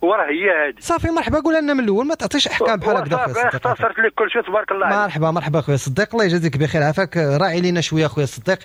وراه هي هذه. صافي مرحبا، قول لنا من الاول ما تعطيش احكام بحال هكذا خويا صديق. اختصرت لك كل شيء تبارك الله عليك. مرحبا مرحبا خويا صديق، الله يجازيك بخير. عافاك راعي لينا شوية خويا صديق،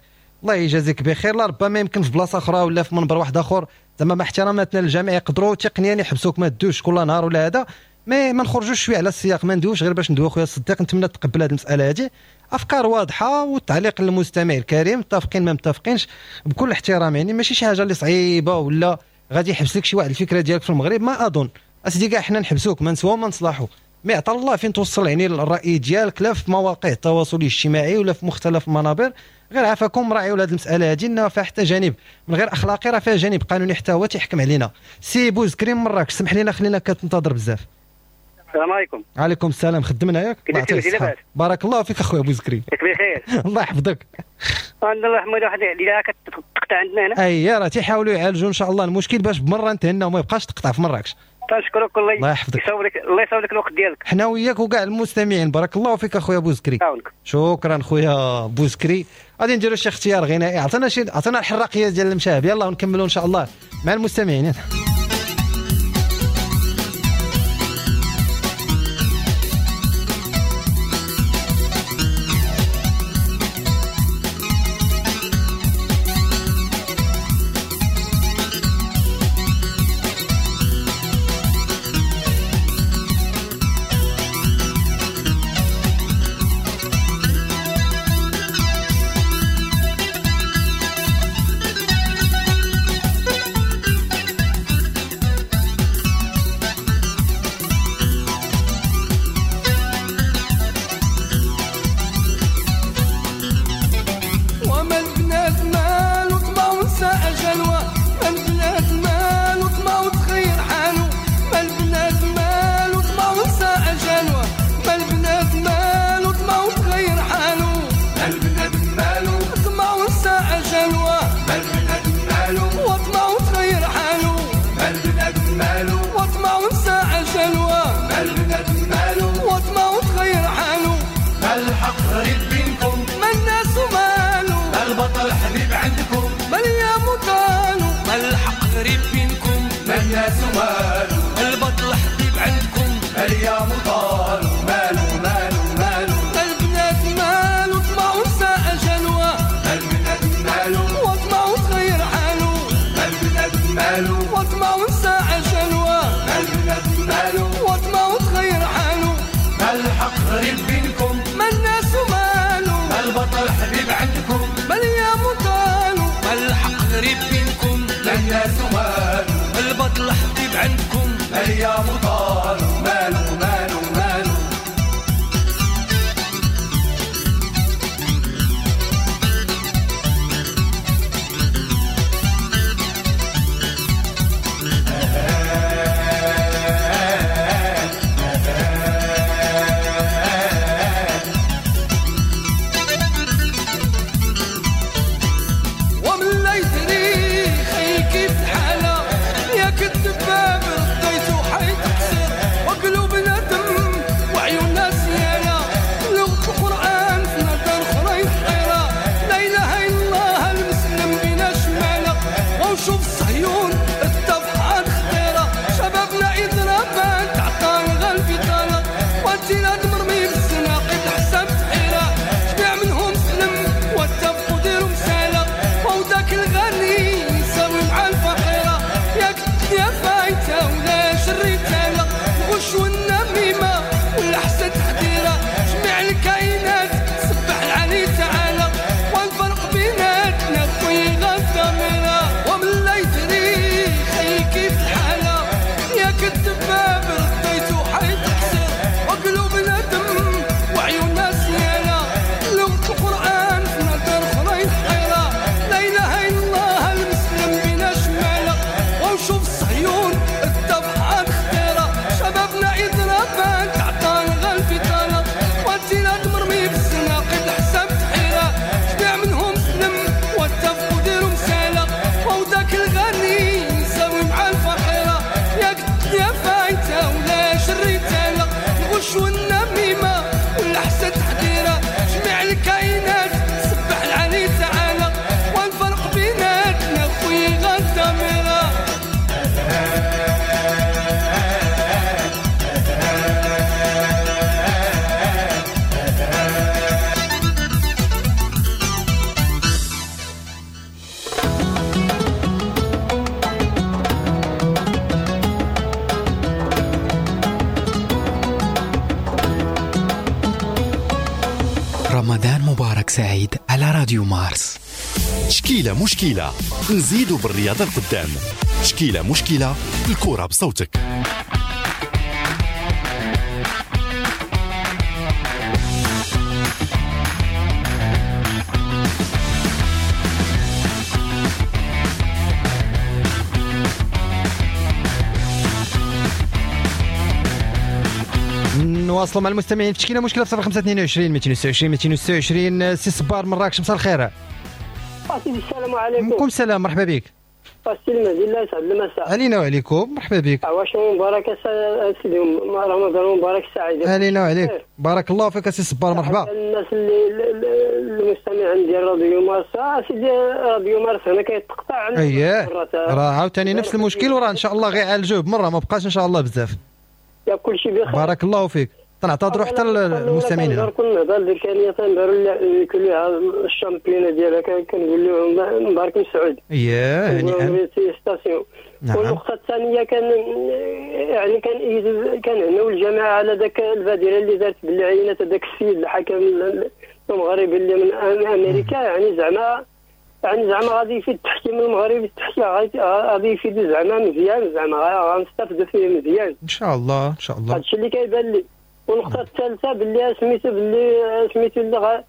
الله يجازيك بخير. لا ربما يمكن في بلاصة اخرى ولا في منبر واحد اخر زعما مع احتراماتنا للجميع يقدروا تقنيا يحبسوك ما تدوش كل نهار ولا هذا، mais ما نخرجوش شوية على السياق، ما ندوش غير باش ندوي. خويا الصديق نتمنى تقبل هذه المسالة هذه، افكار واضحة والتعليق للمستمع الكريم، متفقين ما متفقينش بكل احترام، يعني ماشي شي حاجة اللي صعيبة ولا غادي يحبس لك شي واحد الفكرة ديالك في المغرب. ما اظن اسيدي كاع حنا نحبسوك ما نسوا ما نصلحوا، mais عطا الله فين توصل يعني الراي ديالك لا في مواقع التواصل الاجتماعي ولا في مختلف المنابر. غير عافاكم راعيوا لهذه المسالة هذه، انها فيها حتى جانب من غير اخلاقي راه فيها جانب قانوني حتى هو تيحكم علينا. سي بوزكري مراكش، سمح لنا خلينا كتنتظر بزاف. السلام عليكم. وعليكم السلام، خدمنا ياك؟ بارك الله فيك اخويا بوزكري. بخير الله يحفظك. الله يرحمه واحد اللي كتقطع عندنا هنا. اي راه تيحاولوا يعالجوا ان شاء الله المشكل باش بمرة نتهناو وما يبقاش تقطع في مراكش. تنشكرك الله الله يحفظك، يصاوب لك الله يصاوب لك الوقت ديالك. حنا وياك وكاع المستمعين. بارك الله فيك اخويا بوزكري. شكرا خويا بوزكري. غادي نديروا شي اختيار غنائي، عطينا شي عطينا الحراقيه ديال المشاهب، يلاه ونكملوا ان شاء الله مع المستمعين. كيف الحالة يا كدباب رديتو حيت. مبارك سعيد على راديو مارس. تشكيلة مشكلة، نزيدوا بالرياضة القدام. تشكيلة مشكلة، الكرة بصوتك. نواصلوا مع المستمعين في تشكيله مشكلة في صفر خمسة اثنين وعشرين مئتين وستة وعشرين مئتين وستة وعشرين. سي صبار مراكش، مساء الخير. السلام عليكم. وعليكم السلام، مرحبا بك. السي المهدي، الله يسعد المساء. علينا وعليكم، مرحبا بك. عواش مبارك سيدي، رمضان مبارك سعيد. علينا وعليك، بارك الله فيك سي صبار، مرحبا. الناس اللي المستمعين ديال راديو مارس، سيدي راديو مارس هنا كيتقطع. اييه راه عاوتاني نفس المشكل، وراه ان شاء الله غيعالجوه بمرة، ما بقاش ان شاء الله بزاف. يا كل شيء بخير، بارك الله فيك. تنعتذروا حتى المستمعين هنا. كل نهضر اللي كان تنهضروا كلها ال championnat ديالها، كنقول لهم مبارك مسعود. اييه يعني نعم. والنقطة الثانية كان يعني كان كنهنوا الجماعة على ذاك البادرة اللي دارت بالعينات هذاك السيد الحكم المغربي اللي من امريكا، يعني زعما يعني زعما غادي يفيد التحكيم المغربي، التحكيم غادي يفيد زعما مزيان، زعما غنستافدوا فيه مزيان ان شاء الله. ان شاء الله هادشي اللي كيبان لي. والنقطة الثالثة باللي سميتو باللي سميتو اللي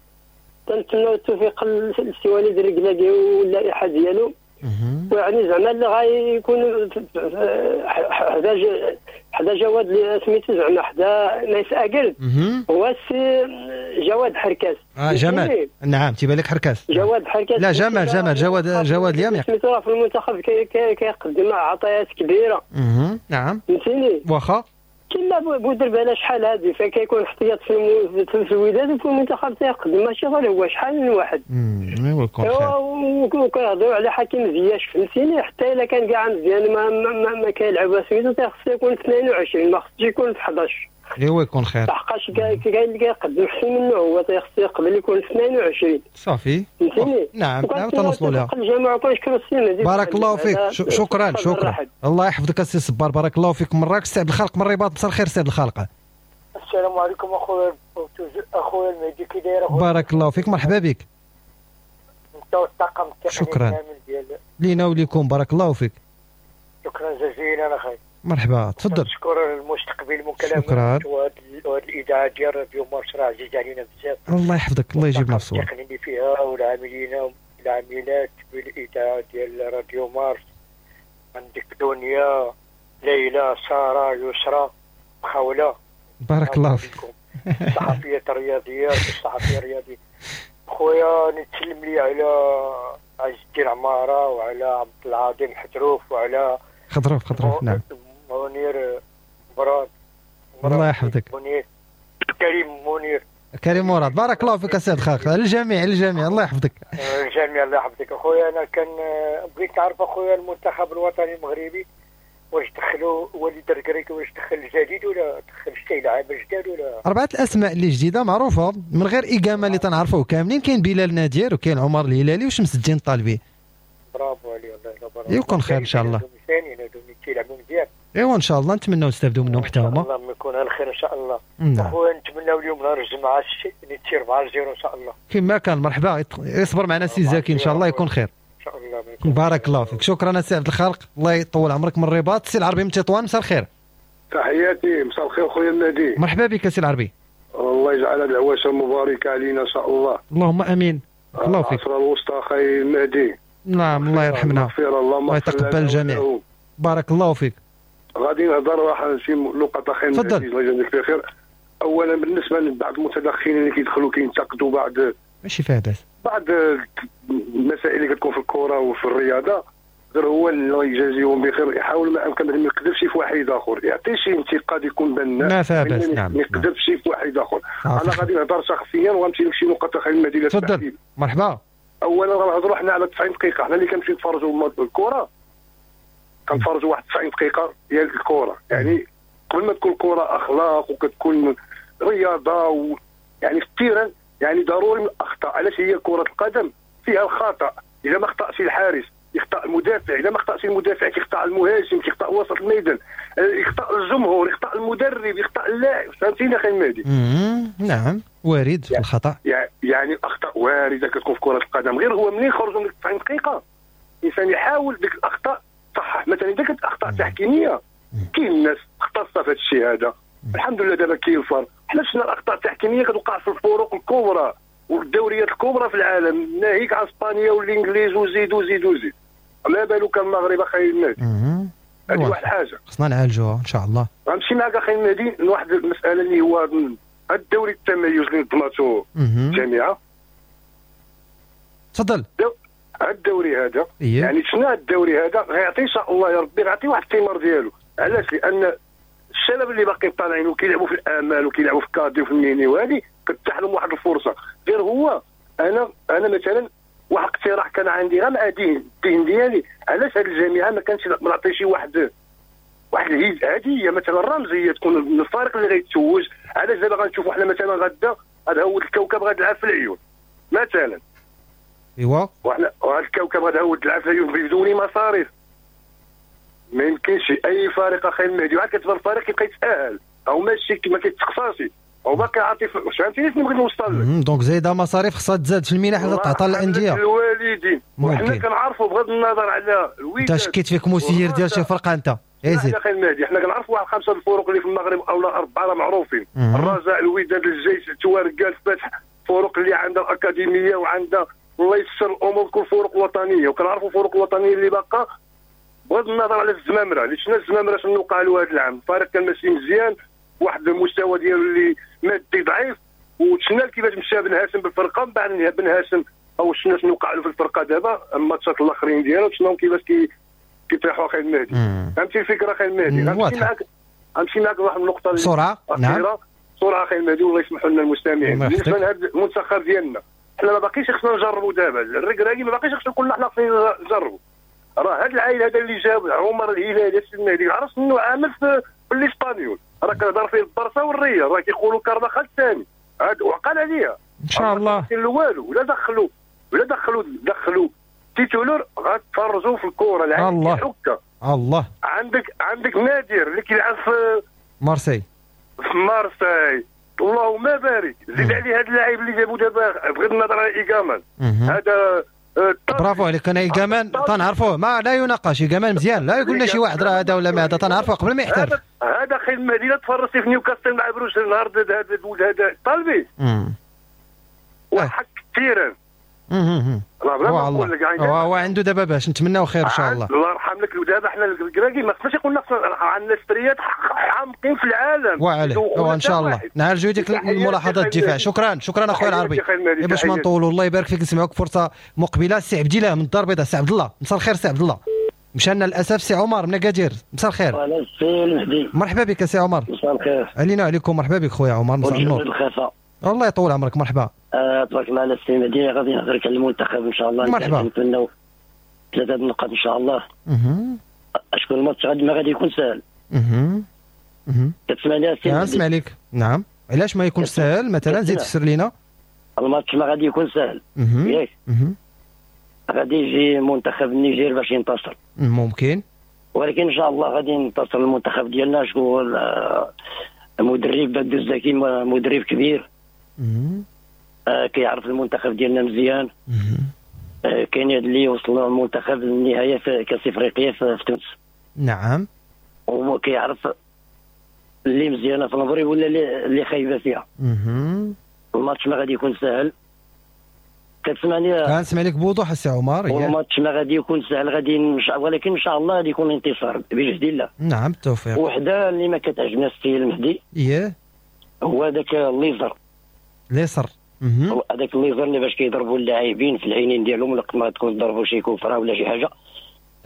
كنتمناو التوفيق للسي وليد الركراكي واللائحه ديالو، ويعني زعما اللي غيكون حدا حدا جواد اللي سميتو زعما حدا نايس اكل هو السي جواد حركاس. اه جمال، نعم تيبان لك حركاس. جواد حركاس، لا جمال جمال جواد جواد اليمين سميتو راه في المنتخب كيقدم عطيات كبيرة. اها نعم فهمتيني. واخا كما بودربالة شحال هادي فكيكون احتياط في في الوداد وفي المنتخب تيقدم، ماشي غير هو، شحال من واحد. امم ايوا وكنهضروا على حكيم زياش فهمتيني، حتى الا كان كاع مزيان ما ما, ما كيلعب سميتو تيخصو يكون في اثنين وعشرين، ما خصوش يكون في أحد عشر. ايوا يكون خير، لحقاش كاين اللي كيقدم احسن منه، هو تيخصو يقبل يكون في اثنين وعشرين. صافي فهمتيني. نعم نعم تنوصلوا لها. الجماعة كنشكروا السي مهدي، بارك الله فيك. شكرا شكرا، الله يحفظك السي صبار، بارك الله فيك. مراكش سي عبد الخالق من الرباط، مساء الخير سي عبد الخالق. السلام عليكم اخويا اخويا المهدي، كي داير اخويا؟ بارك الله فيك، مرحبا بك. انت والطاقم التقني شكرا كامل ديال لينا وليكم، بارك الله فيك. شكرا جزيلا اخي. مرحبا، تفضل. نشكر المستقبل المكالمة. شكرا. وهذه الاذاعة ديال راديو مارس راه عزيز علينا بزاف. الله يحفظك، الله يجيبنا في الصواب. التقنيين اللي فيها والعاملين والعاملات بالاذاعه ديال راديو مارس، عندك دنيا، ليلى، ساره، يسرى، خولة. بارك الله فيك. الصحفية الرياضية، الصحفية الرياضية. خويا نتسلم لي على عز الدين عمارة وعلى عبد العظيم حتروف وعلى خضروف خضروف نعم منير مراد. الله يحفظك. منير كريم منير كريم مراد، بارك الله فيك السيد خالق. الجميع الجميع الله يحفظك. الجميع الله يحفظك اخويا. انا كان بغيت نعرف اخويا المنتخب الوطني المغربي واش دخلوا وليد الركراكي، واش دخل الجديد ولا دخل شي لعابه جداد ولا؟ اربعة الاسماء اللي جديدة معروفة من غير اقامه اللي تنعرفوه كاملين، كاين بلال نادير وكاين عمر الهلالي وشمس الدين الطالبي. برافو عليه، الله يبارك. يكون خير ان شاء الله. ثاني تيلعبوا مزيان. ايوا ان شاء الله نتمناو نستافدوا منهم حتى هما. الله يكون على خير ان شاء الله. نعم. خويا نتمناو اليوم نهار الجمعة نتير أربعة صفر ان شاء الله. كما كان مرحبا، يصبر معنا سي زكي ان شاء الله يكون خير. ان شاء الله. بارك الله فيك، شكرا سي عبد الخالق، الله يطول عمرك. من الرباط سي العربي من تطوان، مساء الخير. تحياتي، مساء الخير خويا النادي. مرحبا بك سي العربي. الله يجعل هذه العواشر مباركة علينا ان شاء الله. اللهم امين. الله فيك. العصر الوسطى خي المهدي. نعم الله يرحمنا الله يتقبل الجميع. بارك الله فيك. غادي نهضر واحد شي نقطة اخي تفضل. الله يجازيك بخير. اولا بالنسبة لبعض المتدخلين اللي كيدخلوا كينتقدوا بعض ماشي فيها باس بعض المسائل اللي كتكون في الكره وفي الرياضة، غير هو الله يجازيهم بخير يحاول ما امكن ما يقذفش في واحد اخر، يعطي شي انتقاد يكون بناء ما فيها باس. نعم ما يقذفش في واحد اخر. انا غادي نهضر شخصيا وغنمشي لشي نقطة اخي المدينة. تفضل. مرحبا. اولا غنهضروا حنا على تسعين دقيقة، حنا اللي كنمشيو نتفرجوا الكره كنتفرجوا واحد تسعين دقيقة ديال الكره، يعني قبل ما تكون الكره اخلاق وكتكون رياضة و... يعني في ال terrain يعني ضروري من الاخطاء. علاش هي كره القدم فيها الخطا، اذا ما اخطاش الحارس يخطا المدافع، اذا ما اخطاش المدافع كيخطا المهاجم، كيخطا وسط الميدان، يخطا الجمهور، يخطا المدرب، يخطا اللاعب. فهمتيني اخي المهدي؟ نعم وارد يعني الخطا، يعني الاخطاء وارده كتكون في كره القدم. غير هو منين خرجوا من تسعين دقيقة الانسان يحاول ديك الاخطاء صح. مثلا اذا كانت اخطاء تحكيميه كاين الناس اختصه في هذا الشيء هذا، الحمد لله دابا كاين الفار. حنا شفنا الاخطاء التحكيميه كتوقع في الفروق الكبرى والدوريات الكبرى في العالم، ناهيك على اسبانيا والانجليز وزيد وزيد وزيد، ما بالك المغرب اخي المهدي. هذه واحد الحاجة خصنا نعالجوها ان شاء الله. غنمشي معك اخي المهدي لواحد المسالة اللي هو الدوري التميز اللي نظمته الجامعة. تفضل. الدوري هذا إيه؟ يعني شنو الدوري هذا غيعطي ان شاء الله يا ربي غيعطي واحد الثمار ديالو. علاش؟ لان الشباب اللي باقيين طالعين وكيلعبوا في الامال وكيلعبوا في cadet وفي ال mini وهذه كتتاح لهم واحد الفرصة. غير هو انا انا مثلا واحد اقتراح كان عندي غير مع الذهن الذهن ديالي، علاش هذه الجامعة ما كانش ما نعطي شي واحد واحد الهدية مثلا رمزية تكون من الفريق اللي غيتوج. علاش دابا غنشوفوا حنا مثلا غدا هذا هو الكوكب غادي يلعب في العيون مثلا، ايوا وحنا وهذا الكوكب غادي هو تلعب في العيون بدون مصاريف. ما يمكنش اي فريق اخي المهدي وعاد كتبان الفريق كيبقى يتاهل او ماشي ما كيتقصاش او باقي عاطي. فهمتيني شنو بغيت نوصل لك؟ donc زايدة مصاريف خصها تزاد في المنح اللي تعطى للاندية الوالدين. وحنا كنعرفوا بغض النظر على الوداد. انت شكيت فيك مسير ديال شي فرقه انت زيد اخي المهدي. حنا كنعرفوا واحد خمسة الفرق اللي في المغرب او لا اربعة راه معروفين، الرجاء، الوداد، الجيش، التواركه، الفتح، فرق اللي عندها الاكاديمية وعندها الله يسر الامور كل فرق وطنية. وكنعرفوا فرق وطنية اللي باقا بغض النظر على الزمامره اللي شفنا الزمامره شنو وقع له هذا العام. الفريق كان ماشي مزيان، واحد المستوى ديالو اللي مادي ضعيف، وشفنا كيفاش مشى بن هاشم بالفرقة. من بعد بن هاشم او شفنا شنو وقع له في الفرقة دابا الماتشات الاخرين ديالو شنو كيفاش كي كيطيحوا اخي المهدي. فهمتي الفكرة اخي المهدي؟ غنمشي معاك غنمشي معاك لواحد النقطة بسرعة. نعم بسرعة اخي المهدي والله يسمحوا لنا المستمعين. بالنسبة لهذا المنتخب ديالنا حنا ما باقيش خصنا نجربوا دابا. الركراكي ما باقيش خصنا نقول حنا خصنا نجربوا. راه هذا العائل هذا اللي جاب عمر الهلالي السي المهدي عرفت شنو عامل في, في الاسبانيول، راه كيهضر فيه البرصا والريال، راه كيقولوا كارفاخال الثاني هاد وعقل عليها ان شاء الله. والو ولا دخلوا ولا دخلوا دخلوا titulaire غتفرجوا في الكره العائل الله حكه. الله عندك عندك نادر اللي كيلعب في مارسي في مارسي اللهم بارك. زيد عليه هذا اللاعب اللي جابو دابا بغض النظر على ايغامان هذا. برافو عليك. انا ايغامان تنعرفوه ما لا يناقش، ايغامان مزيان، لا يقول لنا شي واحد راه هذا ولا ما هذا، تنعرفوه قبل ما يحترف. هذا خير المدينة تفرجتي في نيوكاسل مع بروس النهار هذا هذا طالبي وحك كثيرا. والله هو عنده دابا باش نتمناو خير ان شاء الله. الله يرحم لك. ودابا حنا الكراكي ما خصناش يقولنا عندنا ستريات حامقين في العالم. وعليه ان شاء الله نعالجوا ديك الملاحظات الدفاع. شكرا شكرا اخويا العربي. باش ما نطولوا الله يبارك فيك، نسمعوك فرصة مقبله. السي عبد الله من الدار البيضاء. سي عبد الله مساء الخير. سي عبد الله مشى لنا للاسف. سي عمر من اكادير مساء الخير. اهلا سي المهدي، مرحبا بك سي عمر. مساء الخير علينا وعليكم. مرحبا بك خويا عمر، مساء النور. الله يطول عمرك. مرحبا. آه، تبارك الله على السي مهدي. غادي نهضر على المنتخب ان شاء الله. مرحبا. نتمناو ثلاثة النقاط ان شاء الله. اها اشكون الماتش غادي ما غادي يكون ساهل. اها اها كتسمعني السي مهدي؟ نسمع لك. نعم. علاش ما يكون ساهل مثلا؟ زيد فسر لينا. الماتش ما غادي يكون ساهل ياك. غادي يجي منتخب النيجير باش ينتصر ممكن، ولكن ان شاء الله غادي ينتصر المنتخب ديالنا. شكون المدرب؟ بدو الزكي مدرب كبير. آه كيعرف المنتخب ديالنا مزيان. آه كاين اللي وصلوا المنتخب للنهاية في كاس افريقيا في, في تونس. نعم. وكيعرف اللي مزيانه في المغرب ولا اللي خايبة فيها. الماتش ما غادي يكون ساهل. كتسمعني؟ كنسمع لك بوضوح السي عمر. الماتش ما غادي يكون سهل، غادي نش... ولكن ان شاء الله غادي يكون انتصار بجهد الله. نعم بالتوفيق. وحده اللي ما كتعجبنا السي المهدي اييه هو ذاك الليزر. ليسر هذاك الليزر اللي باش كيضربوا اللاعبين في العينين ديالهم ولا ما تكون ضربوا شي coup franc ولا شي حاجة.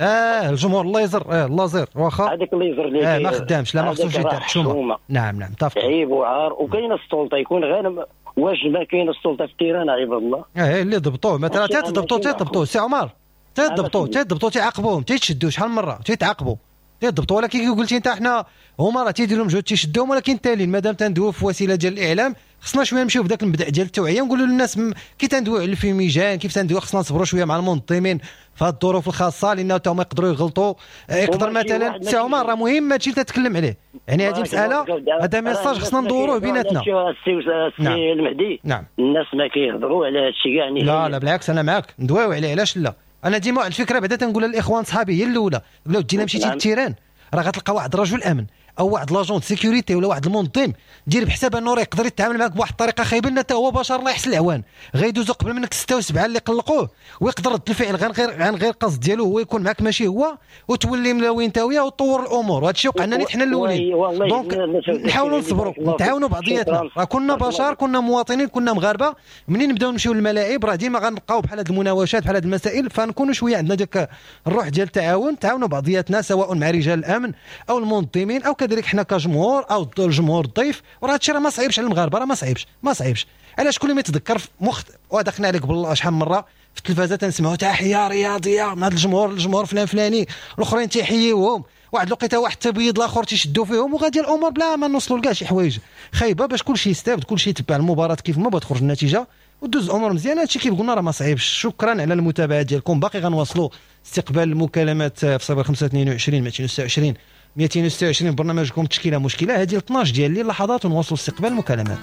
اه الجمهور الليزر، اه الليزر واخا هذاك الليزر اللي اه ما خدامش، لا ما خصوش يدار حشومه. نعم نعم متفق. عيب وعار. وكاينه السلطة يكون غير واش ما كاين السلطة في ال terrain عباد الله. اه اللي ضبطوه مثلا تيضبطوه تيضبطوه سي عمر تيضبطوه تيضبطوه تيعاقبوهم تيتشدوا شحال من مرة تيتعاقبوا تيضبطوا. ولكن كي قلتي انت حنا هما راه تيديروا مجهود تيشدوهم، ولكن التالي مادام تندويو في وسيلة ديال الاعلام خصنا شوية نمشيو بداك المبدا ديال التوعية، نقولوا للناس كي تندويو على ال fumigène، كيف تندويو، خصنا نصبروا شوية مع المنظمين في هذه الظروف الخاصة، لان حتى هما يقدروا يغلطوا. يقدر مثلا سي عمر راه مهم هادشي اللي تتكلم عليه، يعني هذه مسالة، هذا message خصنا ندوروه بيناتنا. السي نعم. المهدي نعم. الناس ما كيهضروا على هادشي كاع. لا لا بالعكس انا معاك، ندويو عليه، علاش لا. انا ديما واحد الفكرة بعدا تنقولها للاخوان صحابي هي الاولى، لو دينا مشيتي لل terrain راه غتلقى واحد رجل امن او واحد l'agent sécurité ولا واحد المنظم، دير بحساب انه راه يقدر يتعامل معك بواحد الطريقة خايبة، لان حتى هو بشر الله يحسن العوان، غيدوزو قبل منك ستة وسبعة اللي قلقوه، ويقدر رد الفعل غير غير عن غير قصد ديالو هو يكون معك ماشي هو، وتولي ملاوي انت وياه وتطور الامور. وهذا الشيء وقع لنا حنا الاولين. donc نحاولوا نصبروا، نتعاونوا بعضياتنا، راه كنا بشر، كنا مواطنين، كنا مغاربة. منين نبداو نمشيو للملاعب راه ديما غنلقاو بحال هاد المناوشات بحال هاد المسائل، فنكونوا شوية عندنا ديك الروح ديال التعاون، تعاونوا بعضياتنا سواء مع رجال الامن او المنظمين او كذلك حنا كجمهور او الجمهور الضيف. وراه هادشي راه ما صعيبش على المغاربة، راه ما صعيبش ما صعيبش. علاش كل ما يتذكر في مخ ودخلنا عليك بالله شحال من مرة في التلفازه تنسمعوا تحية رياضية من هذا الجمهور، الجمهور فلان فلاني، الاخرين تيحييوهم، واحد الوقيته واحد التبيض الاخر تيشدوا فيهم، وغادي الامور بلا ما نوصلوا لكاع شي حوايج خايبة، باش كلشي يستافد، كلشي يتبع المباراة كيف ما بغات تخرج النتيجة ودوز الامور مزيانه. هادشي كيف قلنا راه ما صعيبش. شكرا على المتابعة ديالكم، باقي غنواصلوا استقبال المكالمات في صفر خمسة اثنين وعشرين مئتين وستة وعشرين مئتين وستة وعشرين برنامجكم تشكيله مشكلة. هذه اثناش ديال الليل لحظات ونواصلوا استقبال المكالمات.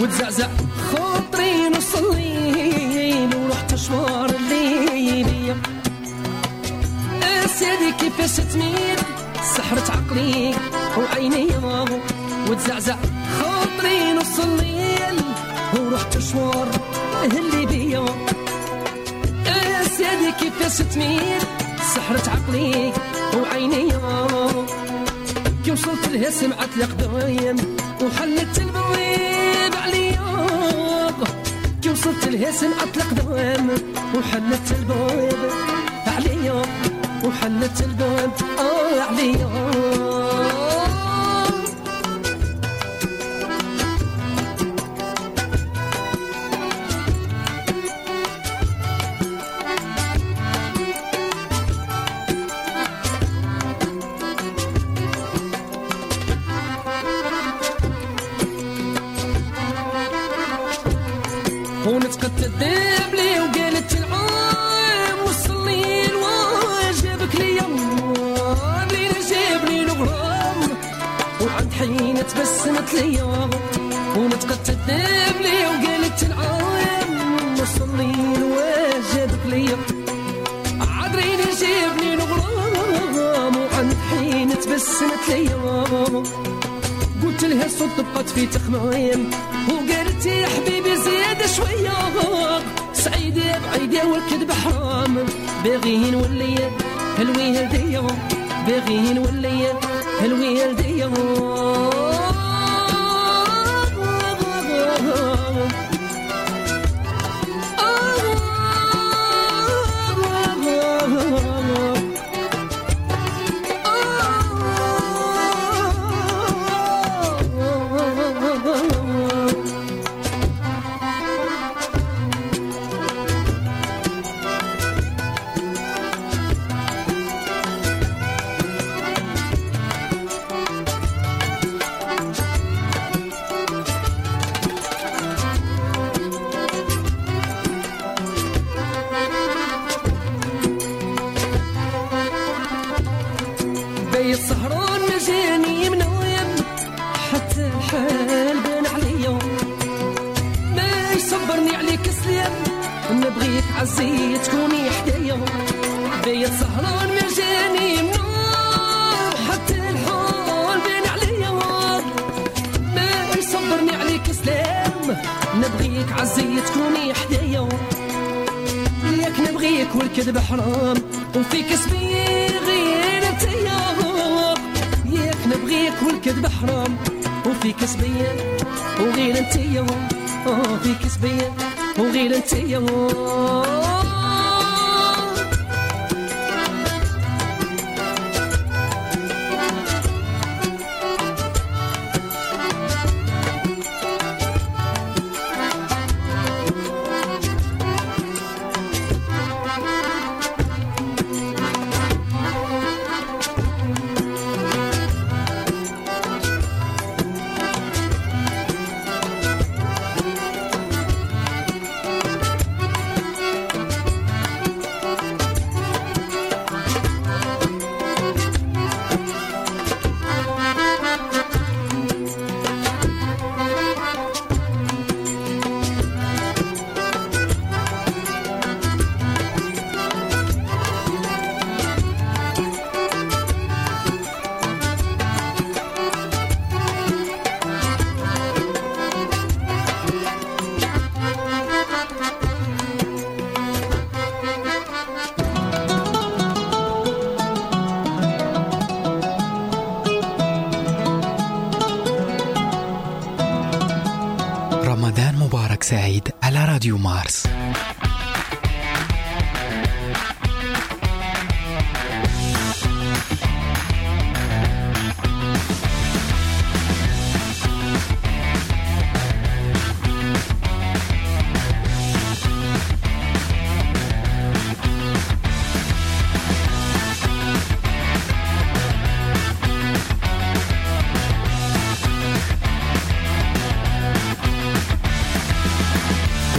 وتزعزع خاطري نص الليل ورحت اشوار الليلية، سيدي كيفاش تميل سحرت عقلي وعيني، وتزعزع خاطري نص الليل ورحت اشوار اللي بيا، سيدي كيفاش تميل سحرت عقلي وعيني، كي وصلت لها سمعت القدايم وحلت البويب عليا، كي وصلت لها سمعت القدام وحلت البويب عليا، وحلت البويب آه عليا. ونتقت الذيب لي وقالت العام وصلي وجابك ليا لين جابني الغرام، وعند حين تبسمت ليا، ونتقت الذيب لي وقالت العام وصلي وجابك ليا عذرين جابني الغرام، وعند حين تبسمت ليا، قلت لها صوت بقات في تخمام، وقالت يا حبيبي زيادة شوية، سعيدة بعيدة والكذب حرام، باغي نولي هلوي هدية، باغي نولي هلوي هدية. السهران ما جاني منويم حتى الحال بان عليا، ما يصبرني عليك سلام نبغيك عزي تكوني حدايا، بيت سهران ما جاني منوم حتى الحال بان عليا، ما يصبرني عليك سلام نبغيك عزي تكوني حدايا، ياك نبغيك والكذب حرام وفيك سبي غير انتيا، ياك نبغيك والكذب حرام وفيك سبية وغير انتيا، فيك سبية وغير انتيا. راديو مارس.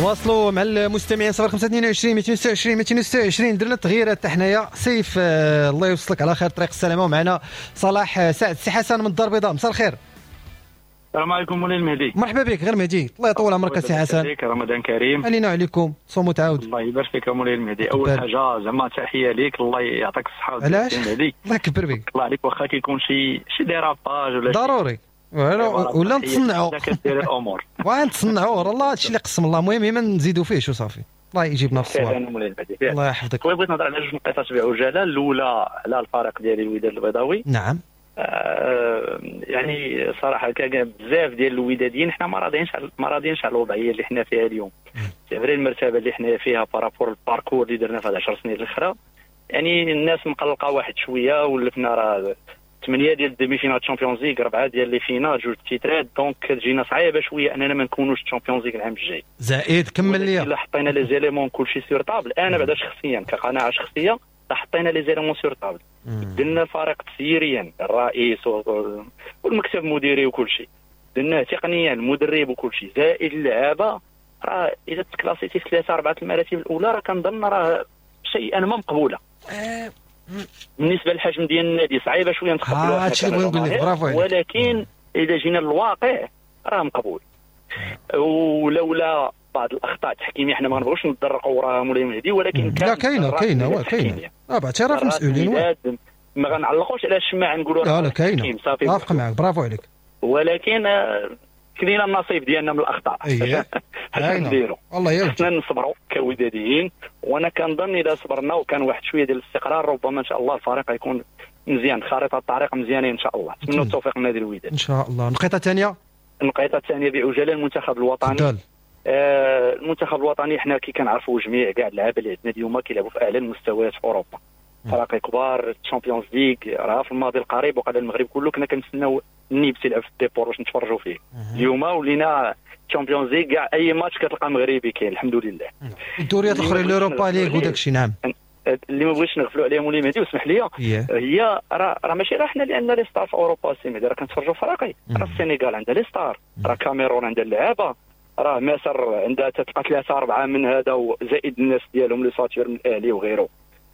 واصلوا مع المستمعين صفر خمسة اثنين وعشرين مئتين وستة وعشرين مئتين وستة وعشرين. درنا التغييرات حتى حنايا. سيف آه الله يوصلك على خير طريق السلامة. ومعنا صلاح سعد سي حسن من الدار البيضاء. مساء الخير. السلام عليكم مولاي المهدي. مرحبا بك. غير مهدي الله يطول عمرك سي حسن. رمضان كريم علينا وعليكم. صوم وتعاود. الله يبارك فيك مولاي المهدي. اول حاجة زعما تحية ليك، الله يعطيك الصحة. علاش؟ الله يكبر بك. الله عليك. واخا كيكون شي شي dérapage ولا ضروري ولا نتصنعوا كدير الامور ونتصنعوا والله هادشي اللي قسم الله. المهم ما نزيدوا فيه شو صافي. الله يجيبنا في الصواب. الله يحفظك. خويا بغيت نهضر على جوج نقيطات بعجاله. الاولى على الفريق ديالي الوداد البيضاوي. نعم. آه يعني صراحة كان بزاف ديال الوداديين حنا ما راضيينش ما راضيينش على الوضعية اللي حنا فيها اليوم. c'est vrai المرتبة اللي حنا فيها par rapport ال parcours اللي درنا في هاد عشر سنين الاخرى، يعني الناس مقلقة واحد شوية. ولفنا راه ثمانية ديال ال demi-finale Champions League، اربعة ديال les finales، جوج تيترات، donc تجينا صعيبة شوية اننا ما نكونوش Champions League العام الجاي. زائد كمل لي الا حطينا les éléments كلشي sur table. انا بعدا شخصيا كقناعه شخصية حطينا les éléments sur table، درنا الفريق تسييريا الرئيس والمكتب المديري وكلشي، درناه تقنيا المدرب وكلشي، زائد اللعابه. راه اذا تكلاسيتي في ثلاثة اربعة المراتب الاولى راه كنظن راه شيئا ما مقبولة. بالنسبة للحجم ديال النادي صعيبة شوية نتقبلوها. هادشي اللي بغيت نقول لك. برافو عليك. ولكن اذا جينا للواقع راه مقبول. ولولا بعض الاخطاء التحكيميه حنا ما نبغوش نتدرقوا وراها مولاي مهدي، ولكن كان لا كاينه كاينه كاينه اه باعتراف المسؤولين. ما غنعلقوش على الشماعه نقولوا لا لا كاينه. اتفق معك برافو عليك. ولكن كلينا النصيب ديالنا من الاخطاء. اييه نديروا والله يا خصنا نصبروا كوداديين. وانا كنظن اذا صبرنا وكان واحد شوية ديال الاستقرار ربما ان شاء الله الفريق يكون مزيان، خريطة الطريق مزيانه ان شاء الله. نتمنى التوفيق لنادي الوداد ان شاء الله. النقطة الثانية النقطة الثانية بعجاله المنتخب الوطني. آه المنتخب الوطني حنا كي كنعرفوا جميع كاع اللعابه اللي عندنا اليوم كيلعبوا في اعلى المستويات في اوروبا، فراقي كبار، Champions League. راه في الماضي القريب وقال المغرب كله كنا كنتسناو النيبس يلعب في الديبور باش نتفرجوا فيه. اليوم ولينا Champions League كاع اي ماتش كتلقى مغربي كاين الحمد لله. الدوريات الاخرى l'Europa League وداك الشيء. نعم. اللي ما بغيتش نغفلوا عليهم مولاي مهدي واسمح لي، هي راه راه ماشي غير حنا اللي عندنا les stars في اوروبا سي مهدي، راه كنتفرجوا فراقي. راه السنغال عندها les stars، راه كاميرون عندها اللعابه، راه مصر عندها تلقى ثلاثة اربعة من هذا وزائد الناس ديالهم les stars من الاهلي وغيره.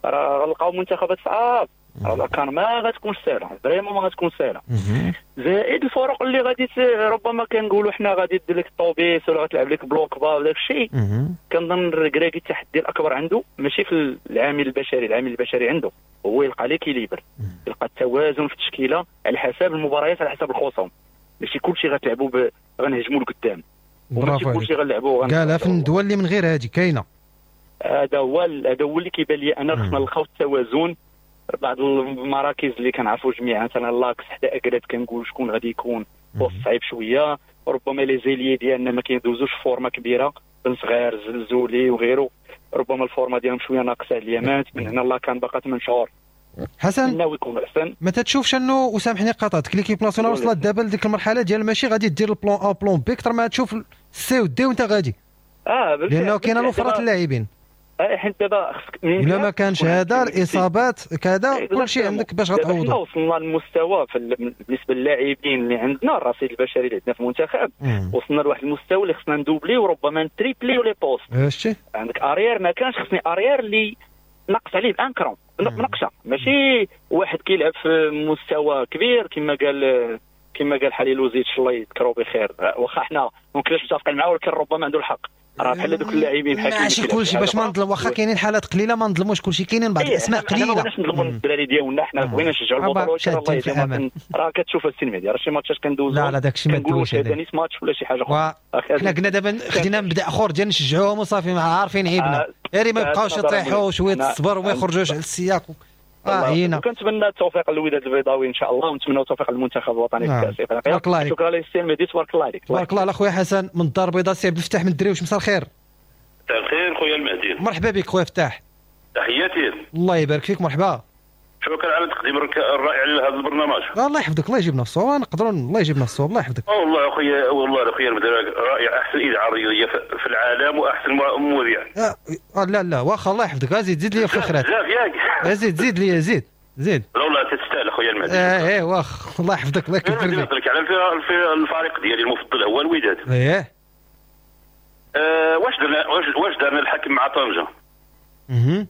راه غنلقاو منتخبات صعاب، راه كان ما غتكونش ساهله، vraiment ما غتكون ساهله. زائد الفرق اللي غادي ربما كنقولوا حنا غادي دير لك الطوبيس ولا غتلعب لك bloc bas وداك الشيء. كنظن الركراكي التحدي الاكبر عنده ماشي في العامل البشري، العامل البشري عنده هو يلقى l'équilibre، يلقى التوازن في التشكيلة على حساب المباريات، على حساب الخصوم. ماشي كلشي غتلعبوا ب... غنهجموا لقدام، وماشي كلشي غنلعبوا قالها في الدول اللي من غير هذه كاينه. هذا هو هذا هو اللي كيبان لي انا خصنا نلقاو التوازن. بعض المراكز اللي كنعرفوا جميعا مثلا l'axe حدا اكراد كنقول شكون غادي يكون poste صعيب شوية، ربما les ailiers ديالنا ما كيدوزوش forme كبيرة، بن صغير زلزولي وغيره، ربما ال forme ديالهم شوية ناقصه اليامات. من هنا الله كان باقا ثمان شهور حسن ناوي يكون احسن. ما تتشوفش انه وسامحني قاطعتك l'équipe nationale وصلت دابا لديك المرحلة ديال ماشي غادي دير ال plan A plan B، اكثر ما تشوف C و D وانت غادي. اه لانه كاينه الوفرات اللاعبين. اه حيت دابا خصك الا ما كانش هذا الاصابات كذا كلشي عندك باش غتعوضو. حنا وصلنا للمستوى بالنسبة للاعبين اللي عندنا، الرصيد البشري اللي عندنا في المنتخب وصلنا لواحد المستوى اللي خصنا ندوبلي وربما نتريبليو les postes. هادشي عندك arrière ما كانش خصني arrière اللي نقص عليه ب un cran نقصه، ماشي واحد كيلعب في مستوى كبير كما قال كما قال حليلوزيتش الله يذكرو بخير، واخا حنا ما كناش متفقين معاه ولكن ربما عنده الحق. راه بحال دوك اللاعبين بحال ماشي كلشي باش ما نظلم، واخا كاينين حالات قليله ما نظلموش كلشي، كاينين بعض الاسماء قليله. ما بغيناش نظلموا الدراري ديالنا، حنا بغينا نشجعوا البطولة ولكن الله يهديهم راه كتشوف السي المهدي راه شي ماتشات كندوزو لا لا داكشي ما دوزوش هذا نيت ماتش ولا شي حاجة اخرى. حنا قلنا دابا خدينا مبدا اخر ديال نشجعوهم وصافي، مع عارفين عيبنا غير ما يبقاوش يطيحوا شوية الصبر وما يخرجوش على السياق. اه هنا وكنتمنى التوفيق للوداد البيضاوي ان شاء الله، ونتمنى التوفيق للمنتخب الوطني في كاس افريقيا. شكرا لك السي المهدي، تبارك الله عليك. تبارك الله على خويا حسن من الدار البيضاء. سي عبد الفتاح من الدريوش، مساء الخير. مساء الخير خويا المهدي. مرحبا بك خويا فتاح. تحياتي. الله يبارك فيك، مرحبا. شكرا على التقديم الرائع لهذا البرنامج. الله يحفظك، الله يجيبنا الصواب، نقدروا الله يجيبنا الصواب، الله يحفظك. والله اخويا، والله اخويا رائع، احسن اذاعة رياضية في العالم واحسن مذيع. آه لا لا واخا الله يحفظك، زيد زيد لي في الخيرات. بزاف ياك. زيد زيد لي زيد زيد. لا والله تستاهل اخويا المهدي. اه ايه واخا الله يحفظك، الله يكبر فيك. نهضرك على الفريق ديالي المفضل هو الوداد. ايه. آه واش درنا واش واش درنا الحكم مع طنجه؟ اها.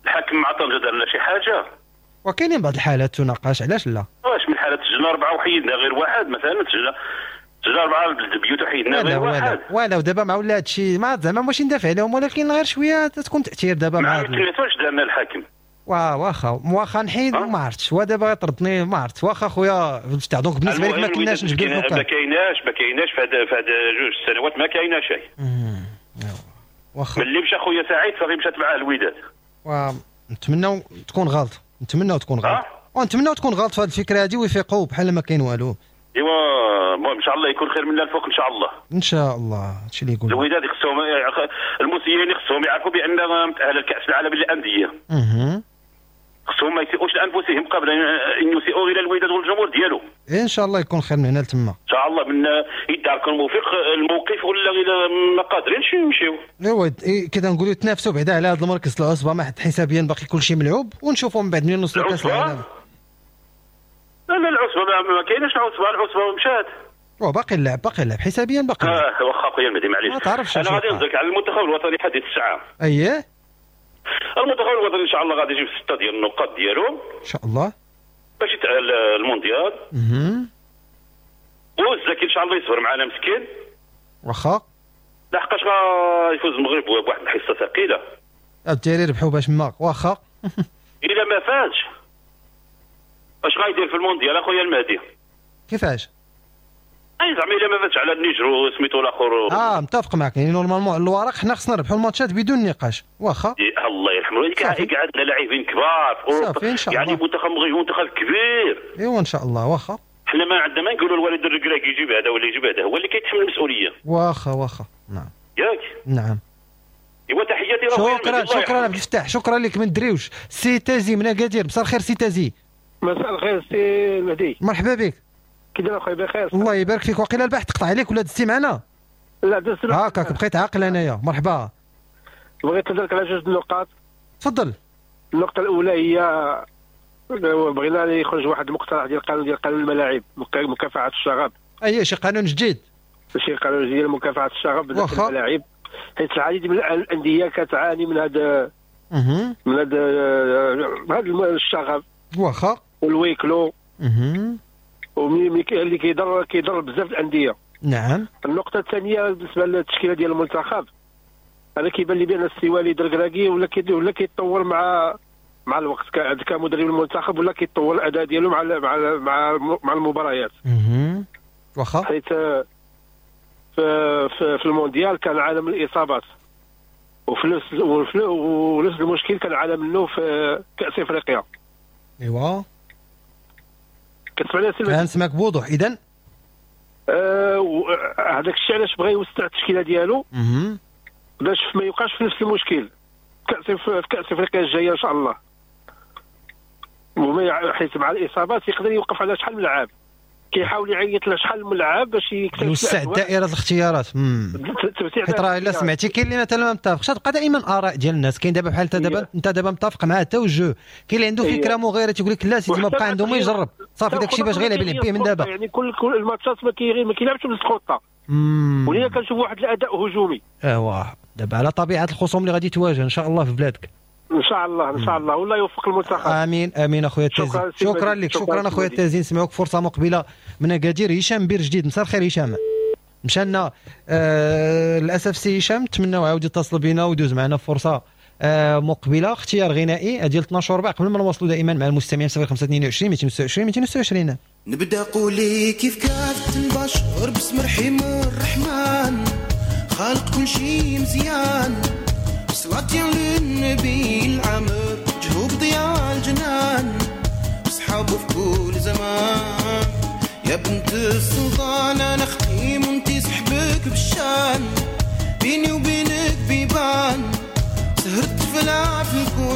الحكم مع طنجه درنا شي حاجة؟ وكاينين بعض الحالات تناقش، علاش لا؟ واش من حالات سجلنا اربعة وحيدنا غير واحد مثلا، سجلنا سجلنا اربعة بالبيوت وحيدنا غير واحد. ولا ودابا مع ولا هادشي ما زعما ماشي ندافع عليهم، ولكن غير شوية تكون تاثير دابا مع واش درنا الحاكم؟ وا واخا واخا نحيد ما عرفتش، ودابا غيطردني ما عرفت. واخا خويا فتاح، donc بالنسبة لك ما كناش نجبدوا الحكام. ما كايناش ما كايناش في هاد في هاد جوج سنوات ما كاينه شيء. واخا ملي مشى خويا سعيد صافي مشات معاه الوداد. ونتمناو تكون غلط، نتمناو تكون غلط، ونتمناو تكون غلط في هذه الفكرة هذه ويفيقوا بحال ما كاين والو. ايوا المهم ان شاء الله يكون خير منا الفوق ان شاء الله. ان شاء الله هادشي اللي يقول. الوداد خصهم المسيرين خصهم يعرفوا بان متاهله لكاس العالم للاندية. اها. خصهم ما يسيئوش لانفسهم قبل ان يسيئوا الى الوداد والجمهور ديالو. ان شاء الله يكون خير من هنا لتما. ان شاء الله من يداركوا الموفق الموقف ولا الا ما قادرينش يمشيو. ايوا كذا نقولوا تنافسوا بعدا على هذا المركز العصبة، ما حد حسابيا باقي كلشي ملعوب، ونشوفوا من بعد منين نوصلوا لكاس العالم. لا لا العصبة ما كايناش العصبة، العصبة مشات. باقي اللعب باقي اللعب حسابيا باقي اللعب. اه واخا خويا المهدي معليش. ما تعرفش. انا غادي نهضرك على المنتخب الوطني حديث الساعة. اييه. المنتخب الوطني ان شاء الله غادي يجيب ستة ديال النقاط ديالو ان شاء الله باش يتاهل المونديال. اها. والزكي ان شاء الله يصبر معنا مسكين. واخا. لحقاش غيفوز المغرب بواحد الحصة ثقيلة. الدراري ربحوا باش ما واخا. الا ما فازش اش غايدير في المونديال اخويا المهدي؟ كيفاش؟ اي زعما الا ما فاتش على النيجر وسميتو الاخر. اه متفق معك، يعني normalement على الورق حنا خصنا نربحوا الماتشات بدون نقاش. واخا الله يرحمه الوالدين، عندنا لاعبين كبار في اوروبا، يعني منتخب مغربي منتخب كبير. ايوا ان شاء الله. واخا حنا ما عندنا ما نقولوا الوالد الركراكي يجيب هذا ولا يجيب هذا، هو اللي كيتحمل المسؤولية. واخا واخا نعم ياك. نعم ايوا تحياتي. شكرا شكرا عبد الفتاح، شكرا لك من دريوش. سي تازي من اكادير، مساء الخير سي تازي. مساء الخير سي المهدي، مرحبا بك. كي داير اخويا؟ بخير الله يبارك فيك. وقيلا البارح تقطع عليك ولا دزتي معنا؟ لا دزت هاكاك، بقيت عاقل انايا. مرحبا. بغيت نهضرك على جوج النقاط. تفضل. النقطة الأولى هي بغينا يخرج واحد المقترح ديال القانون ديال قانون الملاعب مكافحة الشغب. أي شي قانون جديد؟ شي قانون جديد مكافحة الشغب في الملاعب، حيت العديد من الأندية كتعاني من هذا من هذا هذا الشغب. واخا. وال huis clos. اللي كيضر كيضر بزاف الاندية. نعم. النقطة الثانية بالنسبة للتشكيله ديال المنتخب، انا كيبان لي بان السي وليد الركراكي ولا ولا كيتطور مع مع الوقت كمدرب المنتخب، ولا كيتطور الاداء ديالو مع مع مع مع المباريات. اها واخا. حيت في في, في المونديال كان عالم الاصابات، وفي نفس ونفس المشكل كان عالم منه في كاس افريقيا. ايوا كتسمعني سي؟ كنسمعك بوضوح. اذا آه هذاك الشيء علاش بغى يوسع التشكيلة ديالو باش ما يوقعش في نفس المشكل كاس في كاس افريقيا الجاية ان شاء الله. وما حيت مع الاصابات يقدر يوقف على شحال من لاعب، كيحاول يعيط لشحال من لاعب باش يوسع دائرة الاختيارات. حيت راه الا سمعتي كاين اللي مثلا ما متفقش، تبقى دائما اراء ديال الناس. كاين دابا بحال انت دابا انت دابا متفق مع التوجه، كاين اللي عنده فكرة مغايرة تيقول لك لا سيدي ما بقى عنده ما يجرب، صافي داكشي باش غير يلعب به من دابا. يعني كل كل الماتشات ما ما كيلعبش بالخطة، ولينا كنشوف واحد الاداء هجومي. ايوا دابا على طبيعة الخصوم اللي غادي تواجه ان شاء الله في بلادك. ان شاء الله ان شاء الله، والله يوفق المنتخب. امين امين اخويا التازي، شكرا, شكرا لك. شكرا اخويا التازي، نسمعوك فرصة مقبله من اكادير. هشام بير جديد، مساء الخير هشام. مشانا آه للاسف سي هشام، نتمناو عاود يتصل بنا ويدوز معنا فرصة آه مقبله. اختيار غنائي ديال اثنا عشر وربع قبل ما نواصلوا دائما مع المستمعين صفر خمسة اثنين وعشرين مئتين وستة وعشرين مئتين وستة وعشرين. نبدا قولي كيف كافت البشر باسم رحيم الرحمن، خالق كل شيء مزيان، صلاة للنبي العمر جهوب ضياء الجنان، صحابه في كل زمان. يا بنت السلطان انا ختيم وانتي صحبك بالشان، بيني وبينك بيبان.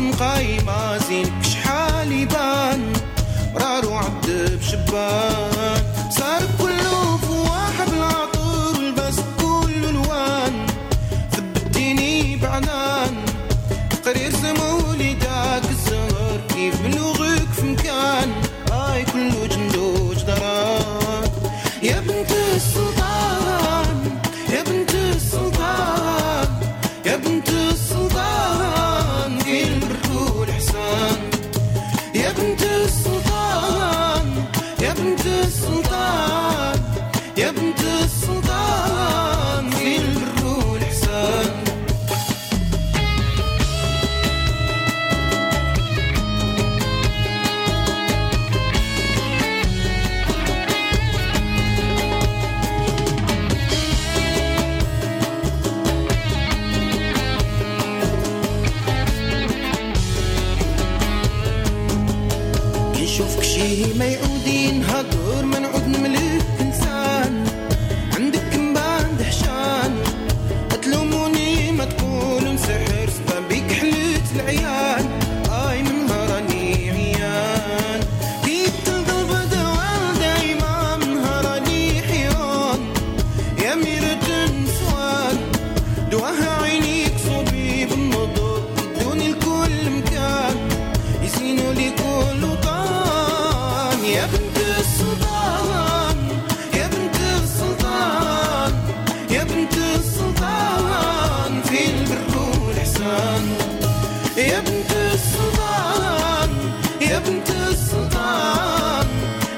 مقايمة زينك شحال يبان مرارو عبد بشبان صار كله فواح بالعطر والبس كل الوان ثبتيني بعنان تقرير سمولي داك الزهر كيف بلوغك في مكان اي كله جندو جدران يا بنت السلطان يا بنت السلطان يا بنت السلطان في البر والحسان يا بنت السلطان يا بنت السلطان يا بنت السلطان في البر والحسان. نشوفك شي ما يعود ينهضر ما نعود نملك انسان عندك مبان دهشان تلوموني ما تقولوا نسحر سبا بيك حلت العيان اي من هراني عيان كي تنقلب دوال دايما من هراني حيران يا ميرة النسوان دواها عينيك صبي بالنضر يدوني لكل مكان يزينوا لي كل وطن يا بنت السلطان يا بنت السلطان يا بنت السلطان في البر والإحسان يا بنت السلطان يا بنت السلطان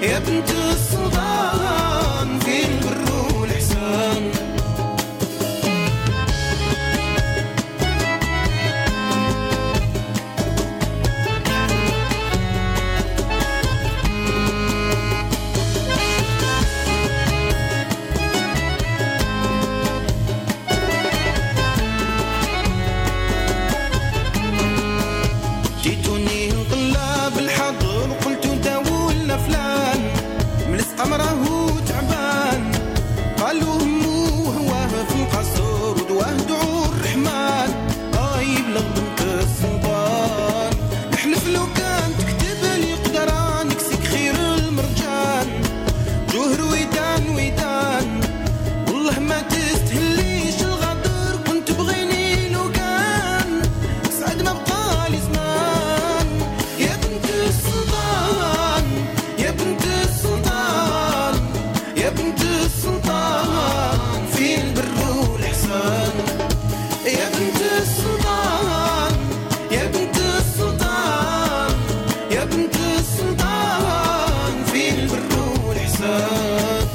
يا بنت السلطان في البر والإحسان. جيتوني نطلب الحضر وقلتو داولنا فلان ملصقة مراهو تعبان قالوا همو وهواه في القصر ودواه دعو الرحمن اي بلغ بنت السلطان نحلف لو كان تكتب لي قدران نكسك خير المرجان جوهر ويدان ويدان والله ما تستهليش الغدر كنت بغيني لو كان سعد ما بقالي زمان يا بنت السلطان يا بنت السلطان يا بنت السلطان في البر والإحسان يا بنت السلطان يا بنت السلطان يا بنت السلطان في البر والإحسان.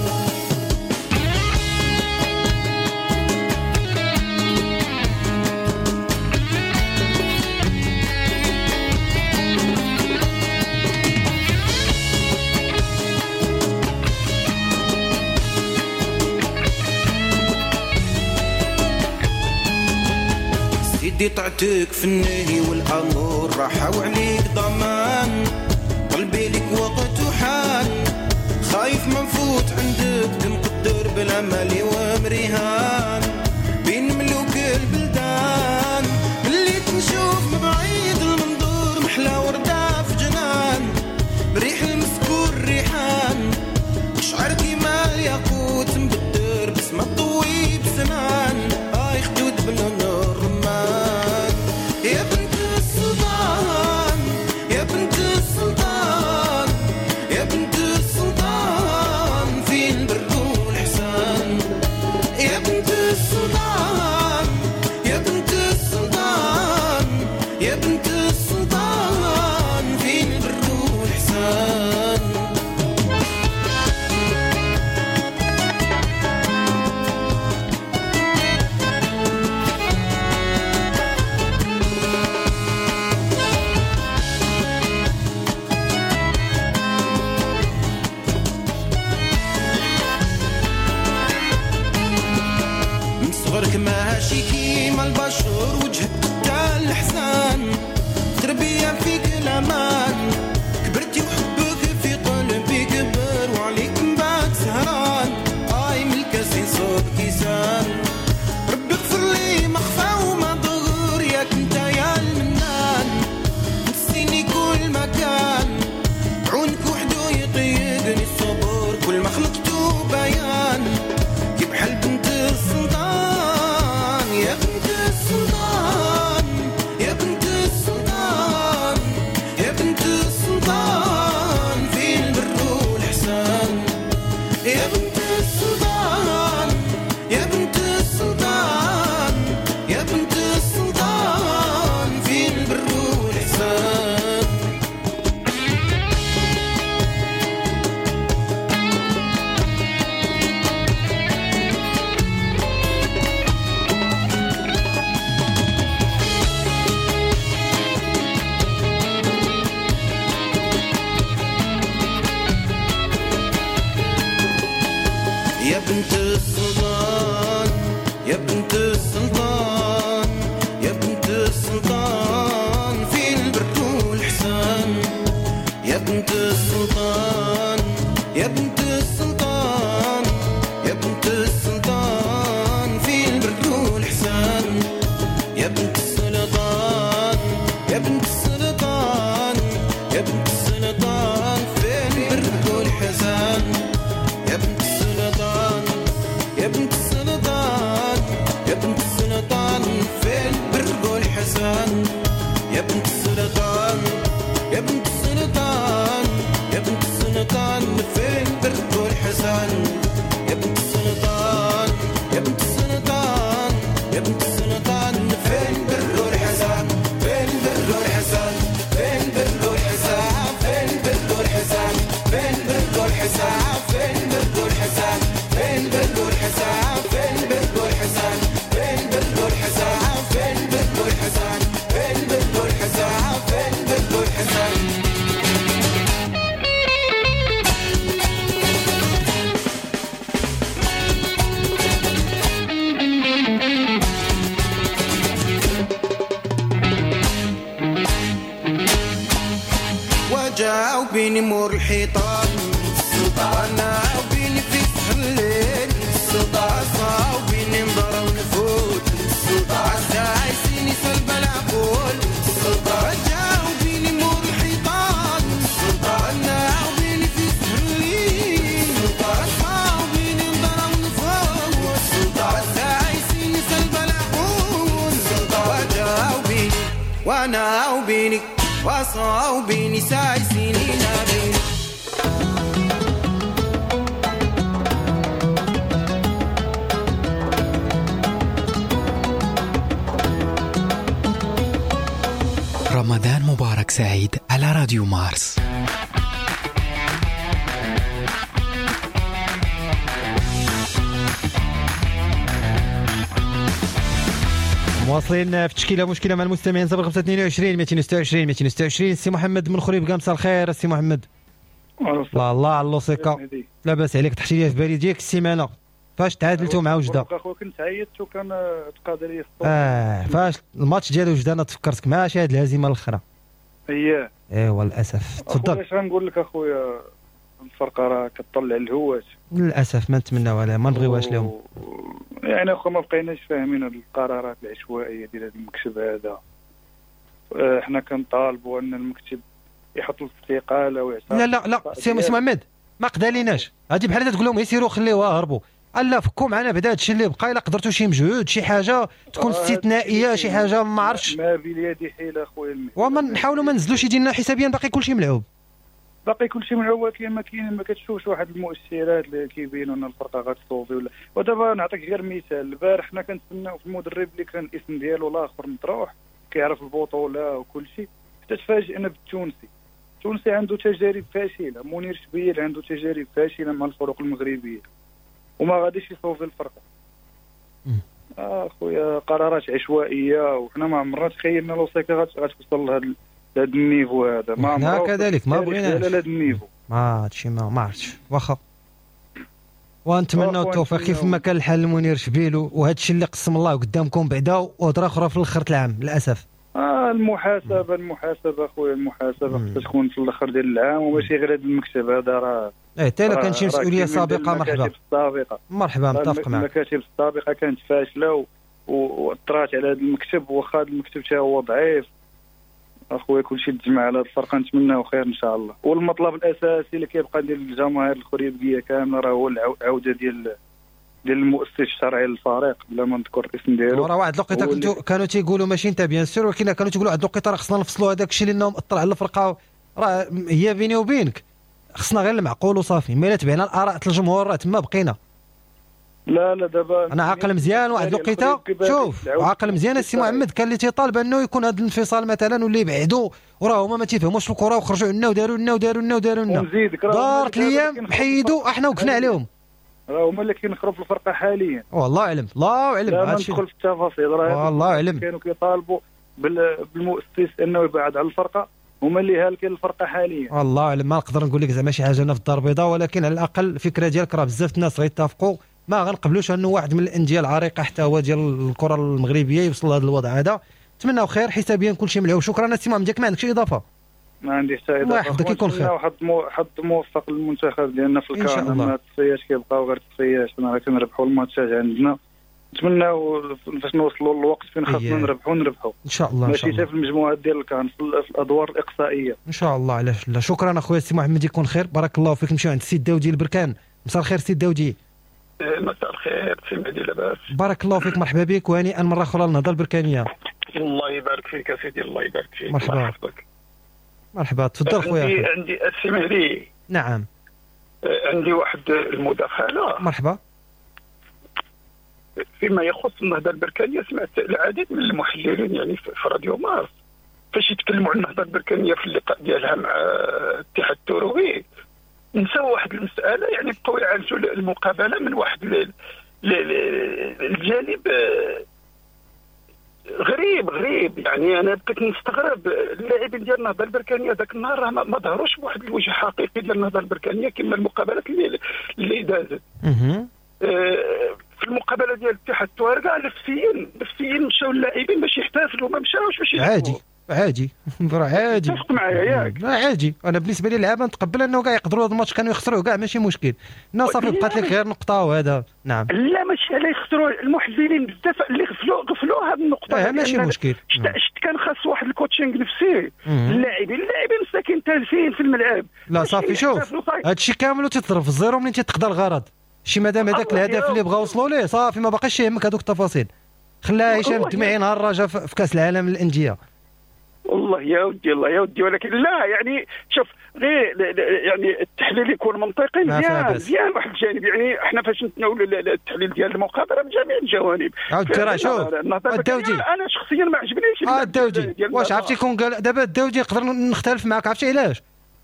سيدي طعتك في النهي والأمور راحة وعليك ضمان قلبي لك وقت وحال خايف ما نفوت عندك مقدر بلا مالي ومريهان بين ملوك البلدان اللي تنشوف من بعيد المنظور محلى وردة في جنان بريح المسكور ريحان شعر كيما الياقوت مبدر بسمة طوي بسنان اي خدود بلون الرمان يا بنت السلطان يا بنت السلطان يا بنت السلطان في البر والإحسان وبيني مور الحيطان، انا وبيني في سحر الليل، عصا وبيني نضرب ونفوت، عسى عايزيني سلب العقول، جاوبيني مور الحيطان، انا وبيني في سحر الليل، عصا وبيني نضرب ونفوت، عسى عايزيني سلب العقول، جاوبيني وانا وبيني وصاوبيني سايسيني نابيني. رمضان مبارك سعيد على راديو مارس. مواصلين في تشكيله مشكلة مع المستمعين صفر خمسة اثنين وعشرين مئتين وستة وعشرين مئتين وستة وعشرين. سي محمد من خريبكة، مساء الخير سي محمد. الله الله على اللوسيكا، لاباس عليك؟ تحتي لي في بالي ديالك السيمانة فاش تعادلتوا مع وجده. اخويا كنت عيطت وكان تقادر لي الصوت. اه فاش الماتش ديال وجده انا تفكرتك ماشي هذه الهزيمة الاخرى. اييه ايوا للاسف. تفضل. اش غنقول لك اخويا، الفرقة راه كتطلع الهوات للاسف، ما نتمناو عليها ما نبغيوهاش لهم. يعني اخو ما بقيناش فاهمين هاد القرارات العشوائية ديال هذا المكتب هذا. حنا كنطالبوا ان المكتب يحط الاستقالة ويعترف. لا لا لا سي محمد ما قداليناش هادي، بحال تقول لهم يسيروا خليوها هربوا. لا فكوا معنا بعدا هادشي اللي بقى، الا قدرتوا شي مجهود شي حاجة تكون استثنائية شي حاجة ما عرفتش. ما باليد حيله اخويا المهدي، وما نحاولوا ما نزلوش يدينا حسابيا، باقي كلشي ملعوب. باقي كلشي ملعوب، ولكن ما كاين ما كتشوفش واحد المؤشرات اللي كيبينوا ان الفرقة غتصوفي ولا. ودابا نعطيك غير مثال، البارح حنا كنتسناو في المدرب اللي كان الاسم ديالو الاخر مطروح كيعرف البطولة وكل شيء، حتى تفاجئنا بالتونسي. التونسي عنده تجارب فاشلة، منير شبيل عنده تجارب فاشلة مع الفرق المغربية وما غاديش يصوفي الفرقة. اه خويا قرارات عشوائية، وحنا ما عمرنا تخيلنا لوسيكا غتوصل لهذا هذا ال niveau هذا. ما عمرنا كذلك ما بغيناش هذا ال niveau، ما هادشي ما ما عرفتش. واخا ونتمنوا التوفيق كيف ما كان الحال لمنير شبيل، وهذا الشيء اللي قسم الله قدامكم بعدا، وهضره اخرى في الاخر العام للاسف. اه المحاسبة المحاسبة خويا، المحاسبة خصها تكون في الاخر ديال العام، وماشي غير هذا المكتب هذا. راه ايه حتى الا كان شي مسؤولية سابقه مرحبا. السابقة مرحبا، متفق معك. المكاتب السابقة كانت فاشلة واثرات على هذا المكتب، واخا هذا المكتب حتى هو ضعيف اخويا. كلشي تجمع على هذه الفرقة، نتمناو خير ان شاء الله. والمطلب الاساسي اللي كيبقى ديال الجماهير الخريبكيه كاملة راه هو العودة ديال ديال المؤسس الشرعي للفريق، بلا ما نذكر الاسم ديالو. راه واحد الوقيته كنتو كانوا تيقولوا ماشي انت bien sûr، ولكن كانوا تيقولوا واحد الوقيته راه خصنا نفصلوا هذاك الشيء لانه مأثر على الفرقة. راه هي بيني وبينك خصنا غير المعقول وصافي، ما الا تبعنا الاراء الجمهور راه تما بقينا. لا لا دابا انا عاقل مزيان واحد الوقيته، شوف عاقل مزيان السي محمد، كان اللي تيطالب انه يكون هذا الانفصال مثلا واللي يبعدوا، وراه هما ما تيفهموش الكره وخرجوا عندنا وداروا لنا وداروا لنا وداروا لنا. دارت الايام حيدوا احنا وقفنا عليهم. راه هما اللي كينخروا في الفرقة حاليا. والله اعلم، الله اعلم، لا ندخل في التفاصيل. راه والله اعلم كانوا كيطالبوا بالمؤسس انه يبعد على الفرقة، هما اللي هالكين الفرقة حاليا. والله اعلم، ما نقدر نقول لك زعما شي حاجة انا في الدار البيضاء، ولكن على الاقل الفكرة ديالك راه بزاف الناس غيتفقوا. ما غنقبلوش انه واحد من الاندية العريقه حتى هو ديال الكره المغربية يوصل لهذا الوضع هذا. نتمناو خير، حسابيا كلشي ملعوب. شكرا السي محمد، ديالك ما عندكش اضافه؟ ما عندي حتى اضافه. الله يحفظك، يكون خير. حظ حظ موفق للمنتخب ديالنا في الكان. ما التصفيات كيبقاو غير تصفيات، حنا كنربحوا الماتشات عندنا. نتمناو فاش نوصلوا للوقت فين خاصنا نربحوا نربحوا ان شاء الله، ماشي حتى في المجموعات ديال الكان، في الادوار الاقصائية ان شاء الله. علاش لا. شكرا اخويا السي محمد، يكون خير، بارك الله فيك. نمشيو عند السي داودي البركان. مساء الخير سي داودي. مساء الخير سي مهدي، لاباس؟ بارك الله فيك، مرحبا بك، وهنيئا مرة اخرى للنهضه البركانيه. الله يبارك فيك يا سيدي، الله يبارك فيك. مرحبا مرحبا، تفضل خويا. عندي عندي السي مهدي. نعم، عندي واحد المداخلة. مرحبا. فيما يخص النهضة البركانيه، سمعت العديد من المحللين يعني في راديو مارس فاش يتكلموا عن النهضة البركانيه في اللقاء ديالها مع الاتحاد التروي، نساو واحد المسالة، يعني بقاو يعالجوا المقابلة من واحد الجانب غريب غريب. يعني انا بقيت نستغرب، اللاعبين ديال النهضة البركانيه ذاك النهار راه ما ظهروش بواحد الوجه حقيقي ديال النهضة البركانيه كما المقابلات اللي اللي دازت. في المقابلة ديال الاتحاد التوارقه نفسيا نفسيا مشاو اللاعبين باش يحتفلوا، ما مشاوش باش عادي عادي راه عادي. اتفق معايا ياك؟ عادي، انا بالنسبة لي اللعابه نتقبل انه كاع يقدروا هذا الماتش كانوا يخسروه كاع ماشي مشكل، لا صافي بقات لك غير نقطة وهذا. نعم لا ماشي على يخسروا، المحللين بزاف اللي غفلوا غفلوا هذه النقطة. اه ماشي مشكل. شت كان خاص واحد ال coaching نفسي للاعبين، اللاعبين مساكين تالفين في الملعب. لا صافي شوف هادشي كامل وتضرب في ال zéro منين تيتقضى الغرض، شي مادام هذاك الهدف اللي بغاو وصلوا ليه صافي ما باقيش يهمك هذوك التفاصيل. خلاها هشام الدمعي نهار الرجاء في كاس العالم للاندية. والله يا ودي الله يا ودي، ولكن لا يعني شوف غير يعني التحليل يكون منطقي مزيان مزيان واحد الجانب، يعني احنا فاش نتناولوا التحليل ديال المقابلة من جميع الجوانب. عاود راه شوف الداودي انا شخصيا ما عجبنيش اه الداودي. واش عرفتي كون قال دابا الداودي نقدر نختلف معاك، عرفتي علاش؟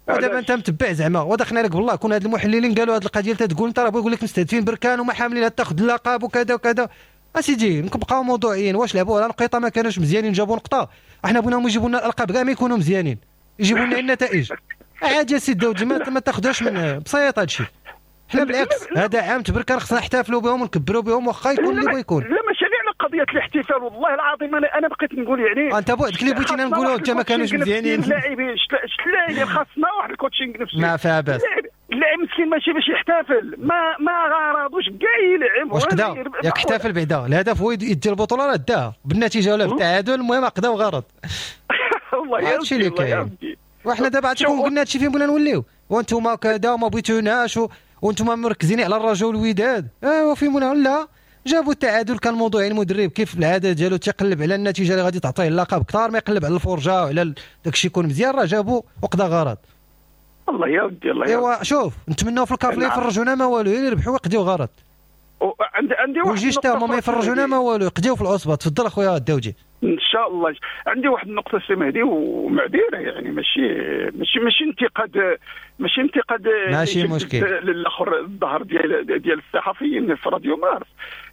ودابا انت متبع زعما ودخلنا لك بالله كون هاد المحللين قالوا هاد القضية اللي تقول انت راه بغا يقول لك مستهدفين بركان وما حاملين تاخذ اللقب وكذا وكذا. اسيدي نبقاو موضوعيين، واش لعبوا على نقيطه ما كانوش مزيانين جابوا نقطة، احنا بغيناهم يجيبوا لنا الالقاب كاع ما يكونوا مزيانين، يجيبوا لنا النتائج عادي يا سيدي داودي، ما, ما تاخذوش من بسيط هادشي. حنا بالعكس هذا عام تبركان خصنا نحتفلوا بهم ونكبروا بهم واخا يكون اللي بغا يكون. لا ماشي على قضية الاحتفال والله العظيم انا انا بقيت نقول يعني انت بوحدك اللي بغيتينا نقولوا انت ما كانوش مزيانين اللاعبين، شت اللاعبين خاصنا واحد ال coaching نفسي ما فيها باس. اللاعب مسكين ماشي باش يحتفل، ما ما غرضوش كاع يلعب. واش قدا ياك احتفل بعدا، الهدف هو يدي البطولة راه داها بالنتيجة ولا بالتعادل، المهم قدا وغرض. والله يا هادشي اللي كاين. وحنا دابا عرفتي قلنا هادشي فين بغينا نوليو، وانتم كذا وما بغيتوناش وانتم مركزين على الرجاء والوداد، ايوا فين بغينا؟ لا جابوا التعادل كان موضوعي، المدرب كيف العادة ديالو تيقلب على النتيجة اللي غادي تعطيه اللقب كثار ما يقلب على الفرجة وعلى داكشي يكون مزيان، راه جابوا وقضى غرض. الله يا ودي الله يا ايوا شوف نتمناو في الكاف لا يفرجونا ما والو، يربحوا ويقضيو غرض. عندي عندي واحد وجيش تا هما ما يفرجونا ما والو، يقضيو في العصبة. تفضل اخويا الداودي. ان شاء الله. عندي واحد النقطة سي مهدي ومعذره، يعني ماشي ماشي ماشي انتقاد، ماشي انتقاد ماشي مشكل للاخر الظهر ديال ديال الصحفيين في راديو مارس.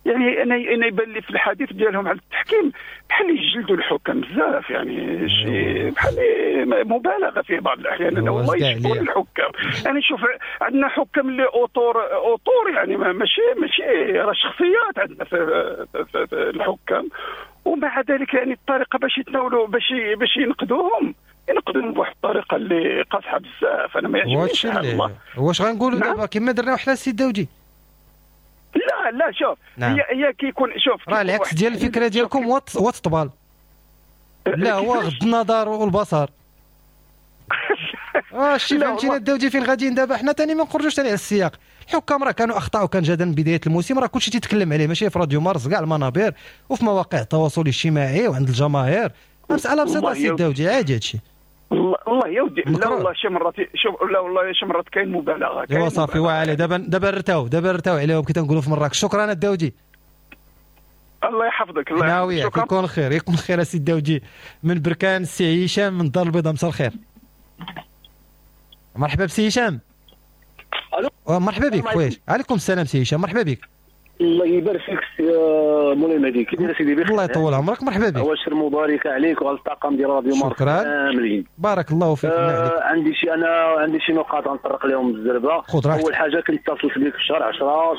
يعني انا انا يبان لي في الحديث ديالهم على التحكيم بحال يجلدوا الحكام بزاف، يعني شي بحال مبالغه في بعض الاحيان. انا والله يشكر الحكام، انا نشوف عندنا حكام اللي auteur auteur يعني ماشي ماشي راه شخصيات عندنا في, في, في الحكام، ومع ذلك يعني الطريقة باش يتناولوا باش باش ينقدوهم ينقدوهم بواحد الطريقة اللي قاصحة بزاف. انا ما يعجبنيش الله. واش غنقولوا دابا كما درنا وحنا السي داودي؟ لا لا شوف نعم. هي هي كيكون شوف راه العكس ديال الفكرة ديالكم هو التطبال، لا هو غض النظر والبصر. اه شتي فهمتينا الداودي فين غاديين دابا. حنا ثاني ما نخرجوش ثاني على السياق. الحكام راه كانوا اخطاء وكان جدا من بداية الموسم، راه كلشي تيتكلم عليه ماشي في راديو مارس كاع المنابر وفي مواقع التواصل الاجتماعي وعند الجماهير. مسالة بسيطة سي الداودي، عادي هادشي. والله يا ودي لا والله شي مرات شوف لا والله شي مرات كاين مبالغه. ايوا صافي وعلي دابا دابا رتاو دابا رتاو عليهم كي تنقولوا في مراكش. شكرا الداودي، الله يحفظك. الله يحفظك، يكون خير يكون خير السي الداودي من بركان. السي هشام من الدار البيضاء، مساء الخير. مرحبا بسي هشام. الو مرحبا بك خويا. عليكم السلام سي هشام، مرحبا بك. الله يبارك فيك سي مولاي مهدي، كي داير سيدي بخير؟ الله يطول عمرك، مرحبا بك. عواشر مباركة عليك وعلى الطاقم ديال راديو مارس كاملين. بارك الله فيك. آه عندي شي انا عندي شي نقاط غنطرق لهم بالزربه. اول حاجة كنت اتصلت بك في شهر عشرة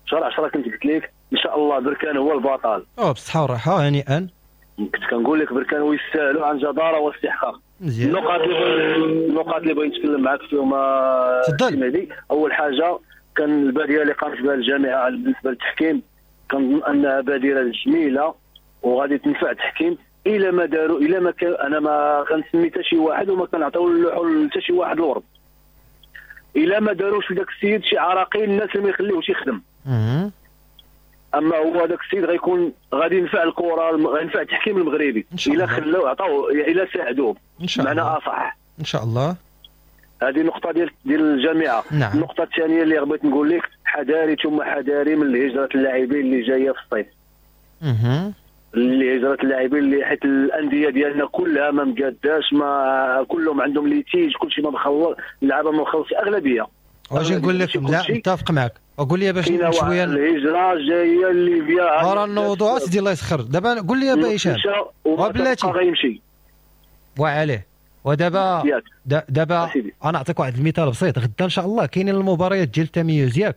شهر عشرة كنت قلت لك ان شاء الله بركان هو البطل. اه بالصحة والراحة هنيئا. كنت كنقول لك بركان ويستاهلوا عن جداره واستحقاق. النقاط اللي النقاط اللي بغيت نتكلم معاك فيهم تفضل. اول حاجة كان البادرة اللي قامت بها الجامعة بالنسبة للتحكيم، كنظن انها بادره جميلة وغادي تنفع التحكيم. الا ما داروا الا ما كان انا ما كنسمي حتى شي واحد وما كنعطيو اللوحو حتى شي واحد الورد. الا ما داروش لذاك السيد شي عراقيل الناس اللي ما يخليوش يخدم. اما هو هذاك السيد غيكون غادي ينفع الكره، غينفع التحكيم المغربي الا خلاو عطاو الا ساعدوه بمعنى اصح ان شاء الله. هذه نقطة ديال ديال الجامعة. نعم. النقطة الثانية اللي بغيت نقول لك، حذاري ثم حذاري من هجره اللاعبين اللي جاية في الصيف. اها اللي هجره اللاعبين اللي حيت الاندية ديالنا كلها ما مقاداش، ما كلهم عندهم litiges، كلشي ما مخلص، اللعابه ما مخلص اغلبية. واش نقول لك؟ لا متفق معك. وقول لي باش شوية الهجرة جاية لليبيا راه النوضوع سيدي الله يسخر. دابا قول لي با هشام وبلاتي غيمشي وعليه. ودابا دابا انا نعطيك واحد المثال بسيط. غدا ان شاء الله كاينين المباريات ديال التمييز ياك،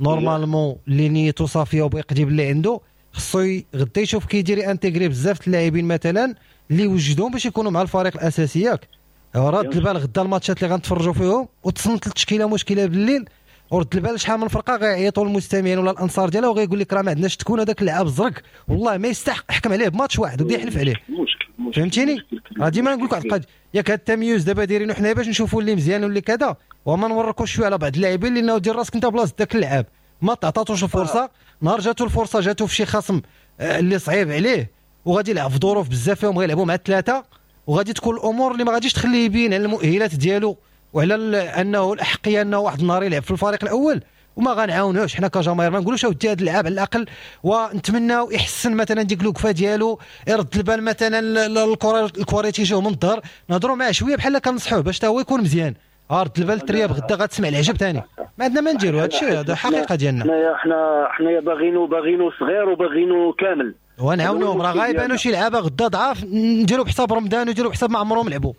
normalement اللي نيتو صافية وبغى يقضي باللي عنده خصو غدا يشوف كيدير intégrer بزاف اللاعبين مثلا اللي وجدهم باش يكونوا مع الفريق الاساسي ياك. رد البال غدا الماتشات اللي غنتفرجوا فيهم وتصنت التشكيلة مشكلة بالليل، ورد البال شحال من فرقه غيعيطوا المستمعين ولا الانصار ديالها وغيقول لك راه ما عندناش تكون هذاك اللاعب الزرق والله ما يستحق، حكم عليه بماتش واحد وبدا يحلف عليه. مشكل فهمتيني؟ راه ديما نقول لك واحد القضية ياك، هذا التمييز دابا دايرينو حنا باش نشوفوا اللي مزيان واللي كذا، وما نوركوش شوية على بعض اللاعبين لانه دير راسك انت بلاصة ذاك اللاعب ما تعطاتوش الفرصة، نهار جاتو الفرصة جاتو في شي خصم اللي صعيب عليه وغادي يلعب في ظروف بزاف فيهم غيلعبوا مع ثلاثة، وغادي تكون الامور اللي ما غاديش تخليه يبين على المؤهلات ديالو وعلى انه الاحقيه انه واحد النهار يلعب في الفريق الاول، وما غنعاونوش حنا كجماهير ما نقولوش اودي هذا اللاعب على الاقل، ونتمناو يحسن مثلا ديك الوقفة ديالو، يرد البال مثلا الكره الكره تيجيو من الظهر، نهضروا معاه شوية بحال كنصحوه باش حتى هو يكون مزيان. رد البال الترياب غدا غتسمع العجب ثاني، ما عندنا ما نديروا هذا الشيء، هذا حقيقة ديالنا. حنايا حنا حنايا باغينو باغينو صغير وباغينو كامل ونعاونوهم، راه غايبانو شي لعابه غدا ضعاف نديروا بحساب رمضان ونديروا بحساب ما عمرهم لعبوا.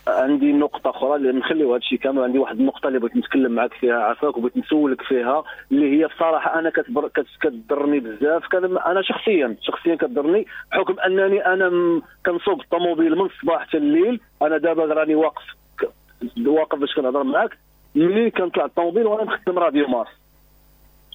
عندي نقطة أخرى اللي نخليو هذا الشيء كامل، عندي واحد النقطة اللي بغيت نتكلم معك فيها عفاك وبغيت نسولك فيها، اللي هي بصراحة أنا كتبر... كتضرني بزاف، أنا شخصيا شخصيا كتضرني بحكم أنني أنا م... كنسوق الطوموبيل من الصباح حتى الليل. أنا دابا راني واقف واقف باش كنهضر معاك، ملي كنطلع الطوموبيل وأنا مخدم راديو مارس.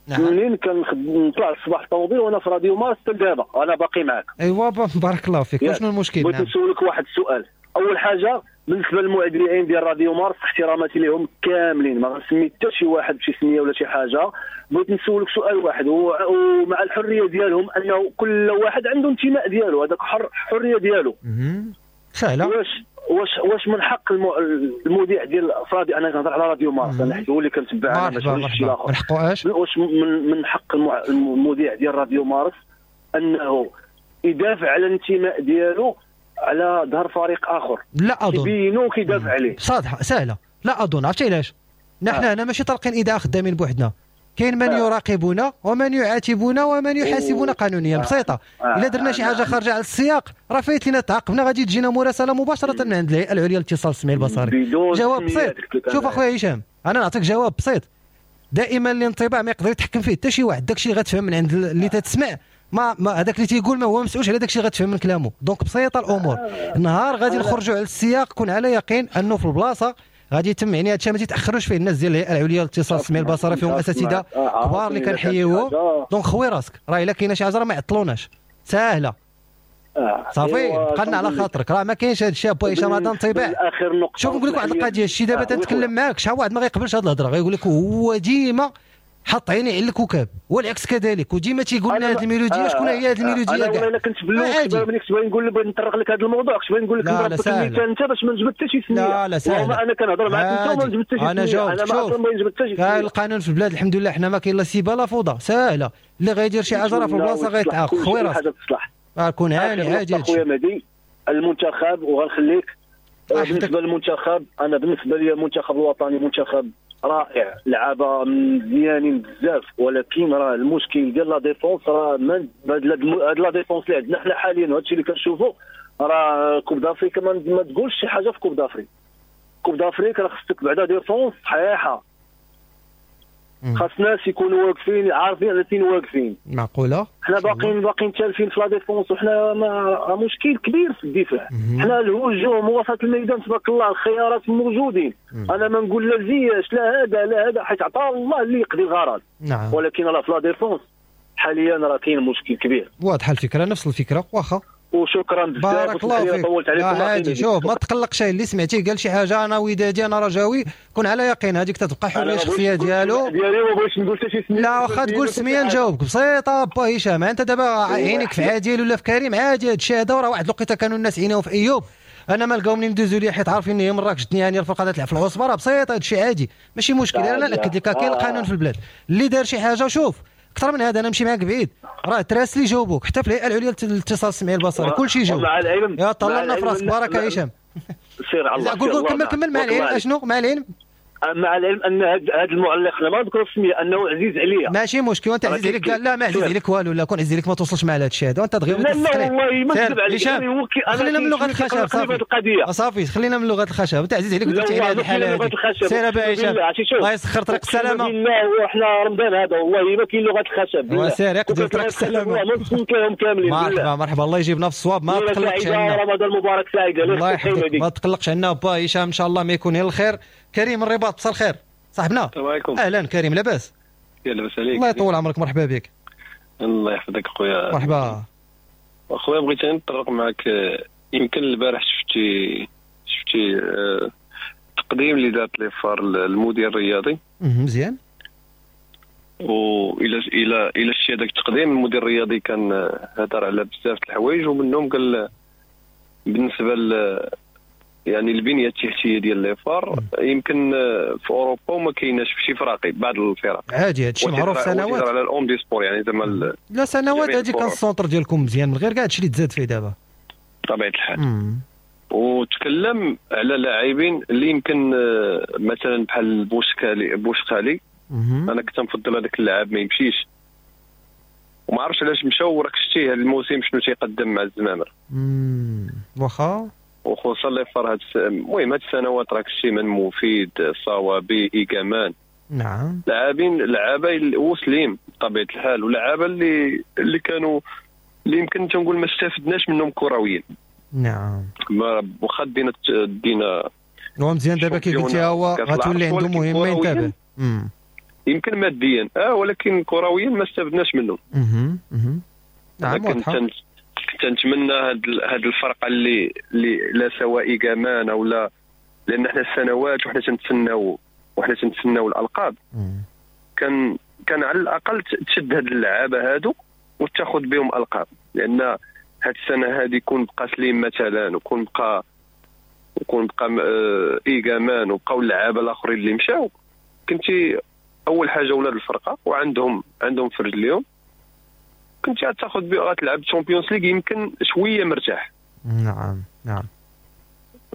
نعم. منين كنطلع الصباح الطوموبيل وانا في راديو مارس حتى دابا انا باقي معاك. ايوا بارك الله فيك. شنو المشكل؟ بغيت نسولك واحد السؤال. اول حاجة بالنسبة للمذيعين ديال راديو مارس احتراماتي لهم كاملين، ما غنسمي حتى شي واحد بشي سميه ولا شي حاجة. بغيت نسولك سؤال واحد، ومع الحرية ديالهم انه كل واحد عنده انتماء ديالو، هذاك حر حرية ديالو. سهلة. واش واش واش من حق المذيع ديال راديو، انا كنهضر على راديو مارس انا حيت هو اللي كنتبع انا ماشي شي اخر، من حقه اش؟ واش من من حق المذيع ديال راديو مارس انه يدافع على الانتماء ديالو على ظهر فريق اخر؟ لا اظن. كيبينو كيدافع عليه. صادحه سهلة. لا اظن. عرفتي علاش؟ نحن هنا ماشي طالقين اذاعة خدامين بوحدنا، كاين من يراقبنا ومن يعاتبنا ومن يحاسبنا قانونيا. بسيطة. الا درنا شي حاجة خارجه على السياق راه فايت لينا تعاقبنا، غادي تجينا مراسله مباشرة من عند الهيئة العليا للاتصال السمعي البصري. جواب بسيط. شوف اخويا هشام، انا نعطيك جواب بسيط. دائما الانطباع ما يقدر يتحكم فيه حتى شي واحد، داكشي اللي غتفهم من عند اللي تتسمع ما, ما هذاك اللي تيقول ما هو مسؤولش على داكشي اللي غتفهم من كلامه. donc بسيطة الامور. النهار غادي نخرجوا على السياق، كون على يقين انه في البلاصة غادي يتم، يعني هادشي ما تيتاخروش فيه الناس ديال الهيئة العليا للاتصال السمعي البصري، فيهم اساتذة كبار اللي كنحييوهم. donc خوي راسك، راه الا كاينه شي حاجة راه ما يعطلوناش، ساهله. صافي بقى لنا على خاطرك، راه ما كاينش هذا الشيء با هشام، هذا انطباع. شوف نقول لك واحد القضية، الشيء دابا تنتكلم معاك شحال واحد ما غيقبلش هذه الهضرة، غيقول لك هو ديما حط عيني على الكوكب والعكس كذلك، وديما تيقول لنا هذه الميلوديه. شكون هي هذه الميلوديه؟ انا والله الا كنت باللون ملي كنت باغي نقول لك بغيت نطرق لك هذا الموضوع، كنت باغي نقول لك نضرب لك المثال انت باش ما نجبد حتى شي سميه. لا لا سهل، انا كنهضر معاك انت وما نجبد حتى شي سميه. انا جاوبت. انا ما ما نجبد حتى شي سميه. القانون في البلاد الحمد لله حنا ما كاين لا سيبه لا فوضى، ساهله. اللي غيدير شي حاجة راه في البلاصة غيتعاقب. خويا راسك كون هاني عادي. خويا مهدي المنتخب، وغنخليك بالنسبة للمنتخب، انا بالنسبة لي المنتخب الوطني منتخب رائع، لعابه مزيانين بزاف، ولكن راه المشكل ديال la défense راه من هاد la défense اللي عندنا حنا حاليا، وهادشي اللي كنشوفو راه Coupe d'Afrique ما تقولش شي حاجة في Coupe d'Afrique. Coupe d'Afrique راه خصك بعدا défense صحيحه، خاص ناس يكونوا واقفين عارفين على فين واقفين. معقولة حنا باقيين باقيين تالفين في la défense، وحنا ما مشكل كبير في الدفاع. حنا الهجوم وسط الميدان تبارك الله الخيارات موجودين. مم. انا ما نقول لا زياش لا هذا لا هذا، حيت عطا الله اللي يقضي الغرض. نعم. ولكن راه في la défense حاليا راه كاين مشكل كبير. واضحة الفكرة، نفس الفكرة. واخا وشكرا بزاف، بارك الله فيك. طولت عليكم. عادي، شوف ما تقلقش، اللي سمعتيه قال شي حاجة انا ودادي انا رجاوي، كون على يقين هذيك تتبقى حرية شخصية ديالو. ديالي ما بغيتش نقول حتى شي سميه. لا واخا تقول سميه نجاوبك بسيطة با هشام. انت دابا عينك في عادل ولا في كريم عادي، هذا الشيء هذا راه واحد الوقيته كانوا الناس عينيهم في ايوب، انا ما لقاو منين ندوزو ليه حيت عارفين هي مراكش جتني هاني الفرقة تلعب في العصبة، راه بسيطة هذا الشيء عادي ماشي مشكل. انا ناكد لك كاين القانون في البلاد، اللي دار شي حاجة شوف اكثر من هذا انا نمشي معاك بعيد، راه تراسلي جاوبوك حتى في الهيئة العليا للاتصال السمعي البصري كلشي جاوب. مع العلم يا طلعنا في راسك. بارك يا هشام. سير على الله. قول قول كمل كمل مع العلم. اشنو مع العلم؟ مع العلم ان هذا المعلق ما نذكر السمية انه عزيز عليا. ماشي مشكل، وانت عزيز عليك. لا ما عزيز عليك والو، لا كون عزيز عليك ما توصلش مع هذا الشيء هذا، وانت دغيا لا لا والله ما نكذب عليك. خلينا من لغة الخشب صافي، صافي خلينا من لغة الخشب. انت عزيز عليك ودرتي على هذه الحالة هذه. سير ابا هشام الله يسخر طريق السلامة. بالله وحنا رمضان هذا والله ما كاين لغة الخشب. وسير يقدر طريق السلامة. مرحبا مرحبا، الله يجيبنا في الصواب. ما تقلقش عنا، رمضان مبارك سعيد. الله يحفظك، ما تقلقش عنا با هشام، ان شاء الله ما يكون غير الخير. كريم الرباط مساء الخير صاحبنا. السلام عليكم. اهلا كريم، لاباس؟ لاباس عليك، الله يطول عمرك، مرحبا بك. الله يحفظك خويا. مرحبا اخويا، بغيت نتطرق معك. يمكن البارح شفتي شفتي التقديم اللي دارت les FAR المدير الرياضي. مزيان. والى الى الى شتي هذاك التقديم، المدير الرياضي كان هضر على بزاف د الحوايج، ومنهم قال بالنسبة ل يعني البنية التحتية ديال les FAR يمكن في اوروبا وما كايناش في شي فراقي بعض الفرق. عادي هادشي معروف سنوات على ال omnisports يعني زعما لا سنوات هادي كان ال centre ديالكم مزيان من غير كاع هادشي اللي تزاد فيه دابا بطبيعة الحال. مم. وتكلم على لاعبين اللي يمكن مثلا بحال بوشكالي بوشقالي انا كنت نفضل هذاك اللاعب ما يمشيش، وما عرفتش علاش مشى. وراك شتيه هذا الموسم شنو تيقدم مع الزمامر. واخا وخصوصا les FAR هاد المهم هاد السنوات راك شتي من مفيد صوابي ايكامان. نعم لاعبين لعابه وسليم بطبيعة الحال، ولعابه اللي اللي كانوا اللي يمكن تنقول ما استفدناش منهم كرويا. نعم واخا دينا دينا هو مزيان دابا كي قلتي هو غتولي عنده مهمة ينتبه يمكن ماديا اه ولكن كرويا ما استفدناش منهم. اها اها نعم واضحة. كنت نتمنى هاد هاد الفرقة اللي اللي لا سواء ايكامان او لا، لان حنا السنوات وحنا تنتسناو وحنا تنتسناو الالقاب. مم. كان كان على الاقل تشد هاد اللعابه هادو وتاخذ بهم القاب، لان هاد السنة هادي يكون بقى سليم مثلا، وكون بقى وكون بقى ايكامان وبقاو اللعابه الاخرين اللي مشاو، كنتي اول حاجة ولاد الفرقة وعندهم عندهم في رجليهم، كنت غتاخذ بها غتلعب Champions League يمكن شوية مرتاح. نعم نعم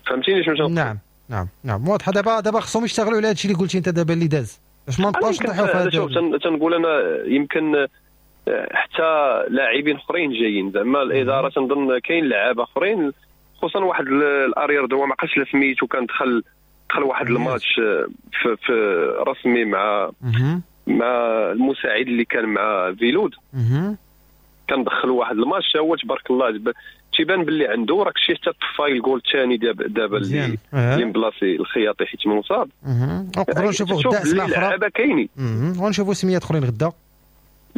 فهمتيني شنو تنقول؟ نعم نعم نعم واضحة. دابا دابا خصهم يشتغلوا على هادشي اللي قلتي انت دابا اللي داز، باش ما نبقاوش نطيحوا في هذا. شوف تنقول انا يمكن حتى لاعبين اخرين جايين زعما الادارة تنظن كاين لعابه اخرين، خصوصا واحد ال arrière droit ما عقلتش سميتو، كان دخل دخل واحد الماتش في, في رسمي مع مع المساعد اللي كان مع فيلود، كان دخل واحد الماتش هو تبارك الله تيبان باللي عنده راك شي حتى طفاي الجول الثاني دابا دابا اللي اللي مبلاصي الخياطي حيت مصاب. نقدروا نشوفوا غدا اسماء اخرى لعابه كاينين ونشوفوا سميات اخرين غدا.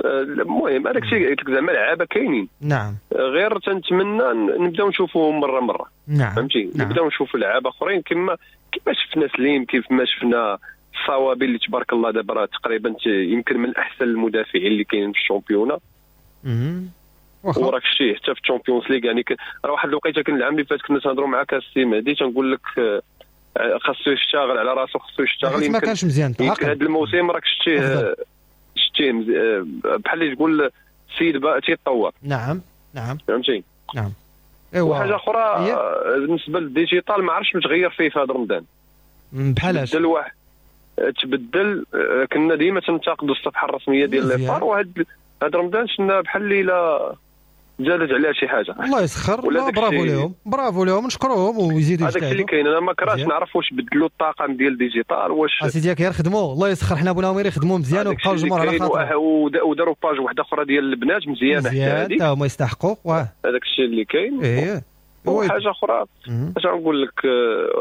المهم هذاك الشيء قلت لك زعما لعابه كاينين. نعم غير تنتمنى نبداو نشوفوهم مرة مرة. نعم فهمتي. نعم. نبداو نشوفوا لعابه اخرين كما كما شفنا سليم، كيف ما شفنا الصوابي اللي تبارك الله دابا راه تقريبا يمكن من احسن المدافعين اللي كاينين في ال championnat. وراك شتي حتى في ال Champions League يعني راه واحد الوقيته كان العام اللي فات كنا تنهضروا معاك السي مهدي تنقول لك خاصو يشتغل على راسو، خاصو يشتغل. ما كانش مزيان هذا الموسم راك شتيه شتيه بحال اللي تقول السيد تيتطور. نعم نعم فهمتي. نعم ايوا. وحاجه اخرى بالنسبة لل digital ما عرفتش متغير فيه في هذا رمضان. بحال اش؟ تبدل واحد تبدل كنا ديما تنتقدوا الصفحة الرسمية ديال les FAR، وهاد هاد رمضان شفنا بحال اللي لا زادت عليها شي حاجة. الله يسخر. لا برافو لهم برافو لهم نشكروهم ويزيدوا يجتهدوا. هذاك اللي كاين. انا ما كرهتش نعرف واش بدلوا الطاقم ديال digital واش اسيدي غير خدموا الله يسخر. حنا بغيناهم غير يخدموا مزيان وبقاو الجمهور على خاطر، وداروا page واحدة اخرى ديال البنات مزيانه حتى هذه حتى هما يستحقوا. هذاك الشيء اللي كاين. ايه وحاجه اخرى اش غنقول لك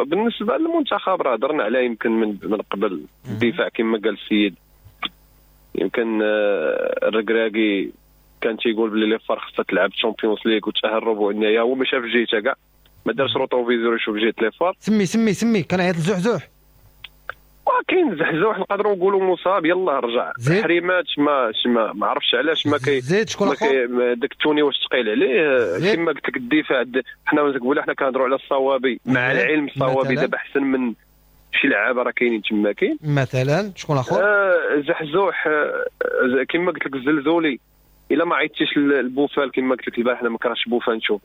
بالنسبة للمنتخب راه هضرنا عليه يمكن من من قبل. الدفاع كما قال السيد يمكن الركراكي كان تيقول بلي les FAR خصها تلعب Champions League وتاهل ربع النهائي، هو ما شاف جهته كاع، ما دارش rétroviseur يشوف جهة les FAR. سمي سمي سمي كان عيط لزحزوح. وكاين زحزوح نقدروا نقولوا مصاب يلاه رجع. حريمات ما ما, ما عرفتش علاش ما كي زيد شكون اخر داك التوني واش ثقيل عليه. كما قلت لك الدفاع حنا نقولوا حنا كنهضروا على الصوابي، مع العلم الصوابي دابا احسن من شي لعابه راه كاينين تما كاين مثلا شكون اخر. آه زحزوح آه كما قلت لك الزلزولي الا ما عيطتيش البوفال كما قلت لك البارح انا ما كرهتش بوفال نشوف.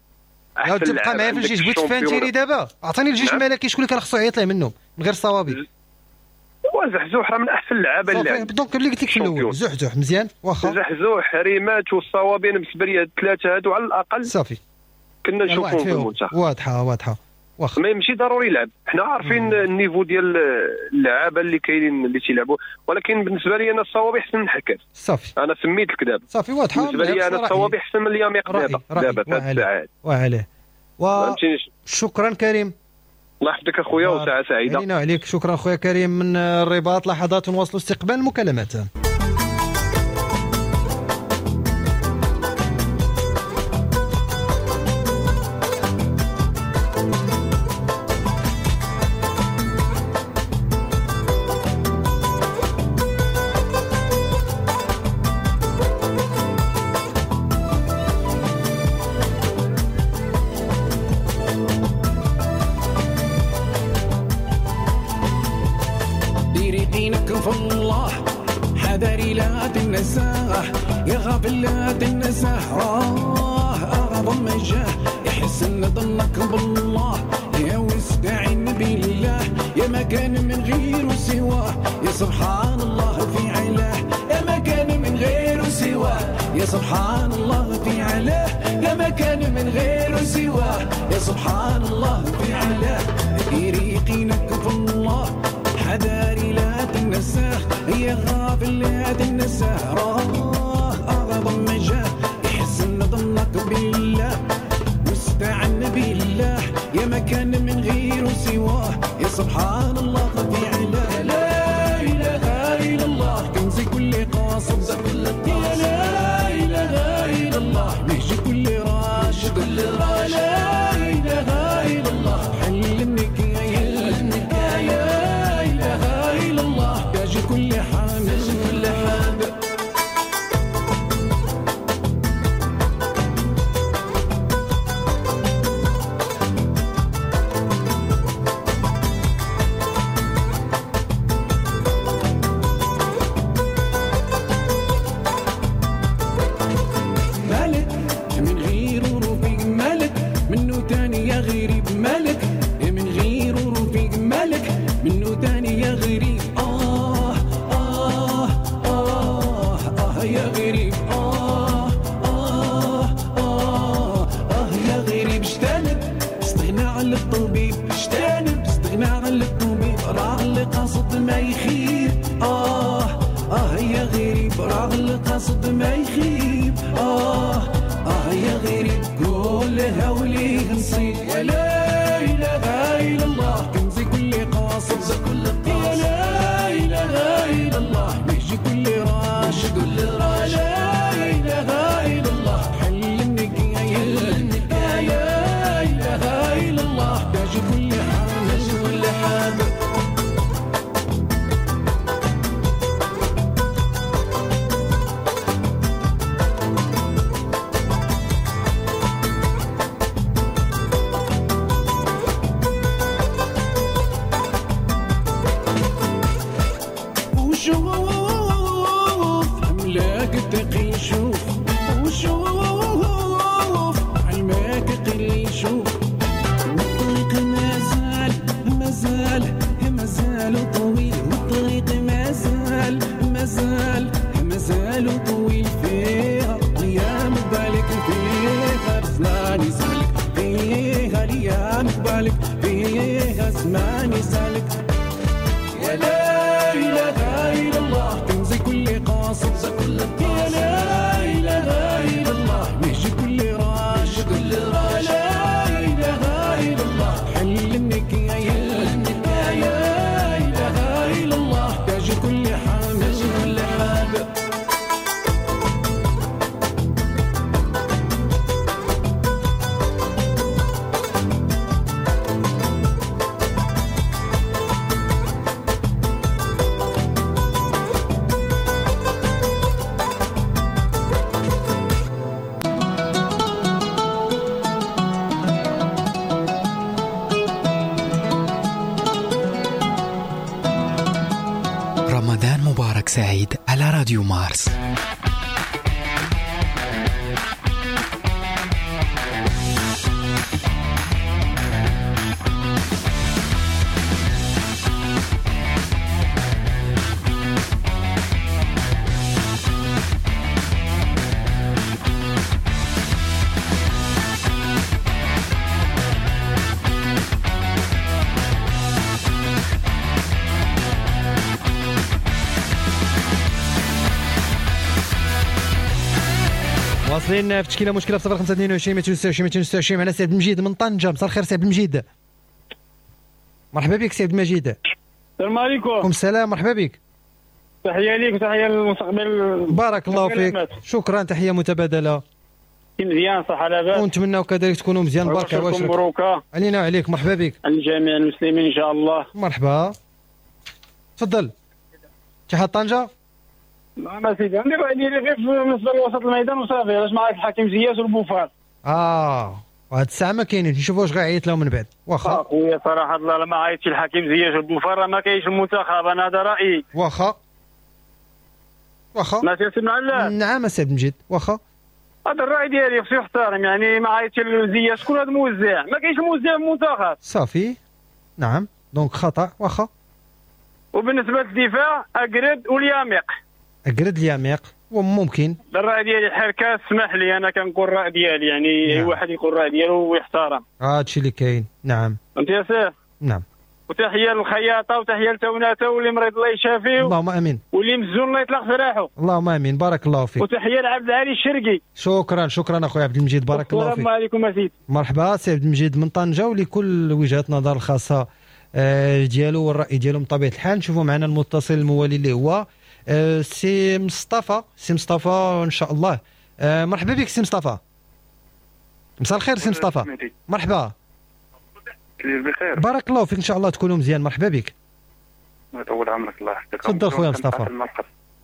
لا تبقى معايا في الجيش بغيت فهمتيني دابا. عطيني الجيش الملكي شكون اللي كان خصو يعيط ليه منهم من غير الصوابي؟ وزحزوح راه من احسن اللعابه اللي صافي donc اللي قلت لك في الاول زحزوح مزيان واخا. زحزوح ريمات والصوابي، انا بالنسبة لي الثلاثة هادو على الاقل صافي كنا نشوفهم في المنتخب. واضحة واضحة واخا. ما ماشي ضروري يلعب، حنا عارفين ال niveau ديال اللعابه اللي كاينين اللي تيلعبوا، ولكن بالنسبة لي انا الصوابي احسن من حكاس. صافي انا سميت لك دابا صافي واضحة. بالنسبة لي انا الصوابي احسن من الياميق دابا دابا في هاد الساعات. وعليه و... شكرا كريم، الله يحفظك اخويا وساعة سعيدة علينا وعليك. شكرا خويا كريم من الرباط. لحظات نواصلوا استقبال المكالمات. يا غافل لا تنساه راه أعظم جاه، يحسن ظنك بالله يا واستعن بالله، يا ما كان من غيره سواه يا سبحان الله في علاه، يا ما كان من غيره سواه يا سبحان الله في علاه، يا ما كان من غيره سواه يا سبحان الله في علاه. يريقينك في الله حذاري لا تنساه، يا غافل لا تنساه راه أعظم جاه، يحسن ظنك بالله واستعن بالله، يا ما كان من غيره سواه يا سبحان الله في علاه. لا إله إلا الله كنز كل قاصد، يا لا إله إلا الله نهج كل راشد، لا إله إلا الله حل النكاية، لا إله إلا الله تاج كل حامل كل حامل. مالك من غيره رفيق مالك منه تاني يا غريب، مالك من غيره رفيق مالك منه تاني يا غريب. آه آه آه آه يا غريب، آه آه آه آه يا غريب. اجتنب استغنى عن الطبيب، اجتنب استغنى عن الطبيب، راه اللي قاصد ما يخيب. آه آه يا غريب، راه اللي قاصد ما يخيب. آه آه يا غريب كلها وليه نصيب. ولا إله إلا الله كنز كل قاصد، يا لا إله إلا الله نهج كل راشد، لا إله إلا الله حل النكاية، لا إله إلا الله تاج كل حامل كل حامل. وشوف أملاك التقي شوف، وشوف علماك قلي شوف، والطريق مازال مازال مازال طويل، والطريق مازال مازال مازال طويل، فيها ايام بالك فيها زمان يسالك، فيها ايام بالك فيها زمان يسالك. يا لا إله إلا الله كنز كل قاصد، يا لا إله إلا الله نهج كل راشد، لا إله إلا الله حل النكاية، لا إله إلا الله تاج كل حامل كل حامل. رمضان مبارك سعيد على راديو مارس. واصلين في تشكيله مشكلة في صفر خمسة اثنين وعشرين مئتين وستة وعشرين مئتين وستة وعشرين. معنا سي عبد المجيد من طنجه. مساء الخير سي عبد المجيد. مرحبا بك سي عبد المجيد. السلام عليكم. وعليكم السلام، مرحبا بك. تحية ليك وتحية للمستقبل. بارك الله فيك، شكرا، تحية متبادلة. مزيان صح لاباس، ونتمناو كذلك تكونوا مزيان. بارك الله فيك، مبروكه علينا وعليك. مرحبا بك. على جميع المسلمين ان شاء الله. مرحبا، تفضل. اتحاد طنجه. نعم سيدي، عندي الراي ديالي غير بالنسبة لوسط الميدان وصافي. علاش معاك الحكيم زياش والبوفار؟ اه وهاد الساعة ما كاينينش، نشوفوا واش غيعيط لهم من بعد. واخا خويا صراحة الله ما عيطش الحكيم زياش والبوفار راه ما كاينش المنتخب، انا هذا رايي. واخا واخا ماشي سي معلم. نعم سي عبد المجيد، واخا هذا الراي ديالي خصو يحترم، يعني ما عيطش لزياش. شكون هذا الموزع؟ ما كاينش موزع في المنتخب. صافي نعم، donc خطا. واخا وبالنسبة للدفاع اكرد والياميق. اكرد الياميق وممكن. الراي ديالي حركة، اسمح لي انا كنقول الراي ديالي، يعني اي واحد يقول الراي ديالو ويحترم. هادشي اللي كاين. نعم فهمتي يا سيف؟ نعم. وتحية للخياطه وتحية لتوناته واللي مريض الله يشافيه. اللهم امين. واللي مزون الله يطلق سراحه. اللهم امين، بارك الله فيك. وتحية لعبد العالي الشرقي. شكرا شكرا اخويا عبد المجيد، بارك الله فيك. السلام عليكم اسيدي. مرحبا سي عبد المجيد من طنجه، ولكل وجهات نظر الخاصة ديالو والراي ديالو من طبيعة الحال. نشوفوا معنا المتصل الموالي اللي هو سي مصطفى. سي مصطفى ان شاء الله. مرحبا بك سي مصطفى. مساء الخير سي مصطفى. مرحبا. بخير، بارك الله فيك، ان شاء الله تكونوا مزيان. مرحبا بك. الله يطول عمرك، الله يحفظك. تفضل خويا مصطفى.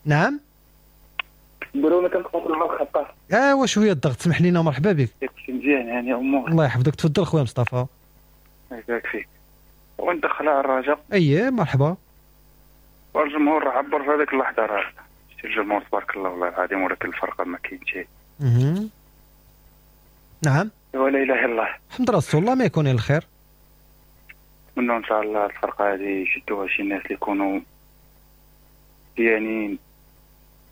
نعم نقولوا كنتقبلوا المرحبا. ايوا شوية الضغط، سمح لينا. مرحبا بك. كلشي مزيان يعني امور. الله يحفظك، تفضل خويا مصطفى. الله يبارك فيك. وندخلها على الرجاء. اييه مرحبا. والجمهور راه عبر في هذيك اللحظة، راه شتي الجمهور تبارك الله والله العظيم، ولكن الفرقة ما كاين شيء. اها نعم. ولا اله الا الله. الحمد لله الله ما يكون الا الخير. نتمنوا ان شاء الله الفرقة هذه يشدوها شي ناس اللي يكونوا مزيانين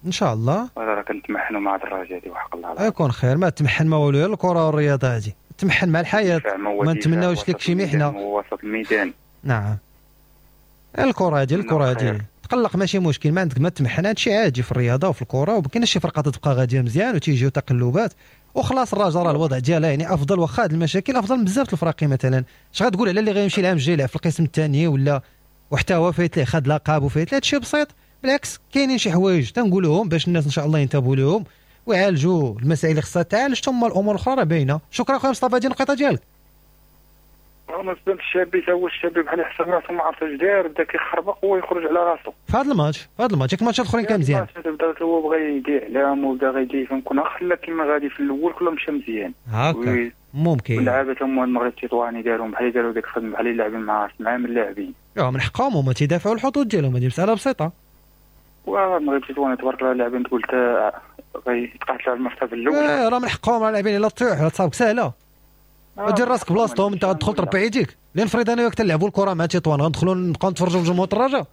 ان شاء الله. راه كنتمحنوا مع الدراجة هذه وحق الله العظيم. يكون خير، ما تمحن ما والو، الكره والرياضة هذه تمحن مع الحياة، ما نتمناوش لك شي محنة. وسط الميدان. نعم الكره هذه الكره هذه تقلق ماشي مشكل، ما عندك ما تمحن، هادشي عادي في الرياضة وفي الكره، وما كاينش شي فرقه تبقى غادية مزيان وتيجيو تقلبات وخلاص. الرجاء راه الوضع ديالها يعني افضل، واخا هاد المشاكل افضل من بزاف الفراقي. مثلا اش غتقول على اللي غيمشي العام الجاي يلعب في القسم الثاني ولا وحتى هو فايت ليه خد لقب وفايت ليه، هادشي بسيط. بالعكس كاينين شي حوايج تنقولوهم باش الناس ان شاء الله ينتبهوا لهم ويعالجوا المسائل اللي خصها تعالج، ثم الامور الاخرى راه باينة. شكرا خويا مصطفى، هذه النقطة ديالك. بالنسبة للشابي تا هو الشابي بحال يحسب راسو ما عرف اش داير، بدا كيخربق ويخرج على راسو في هذا الماتش. في هذا الماتش ياك الماتشات الاخرين كان مزيان، بدا هو بغى يدير اعلام وبدا غيدير فهمكون، خلى كيما غادي في الاول كله مشى مزيان هكا ممكن. اللعابه هما المغرب التطواني دارهم بحال داروا ديك الخدمة، بحال اللاعبين مع مع من اللاعبين من حقهم هما تيدافعوا الحظوظ ديالهم، هذه مسالة بسيطة. والمغرب التطواني تبارك الله اللاعبين تقول غيتقاتلوا على المرتبة الاولى، راه من حقهم اللاعبين الا طيح ولا تصابك سهلة ودير راسك بلاصتهم، انت غتدخل تربع يديك. لان فريد انا وياك تلعبوا الكره مع تطوان غندخلوا نبقاو نتفرجوا في جمهور الرجاء.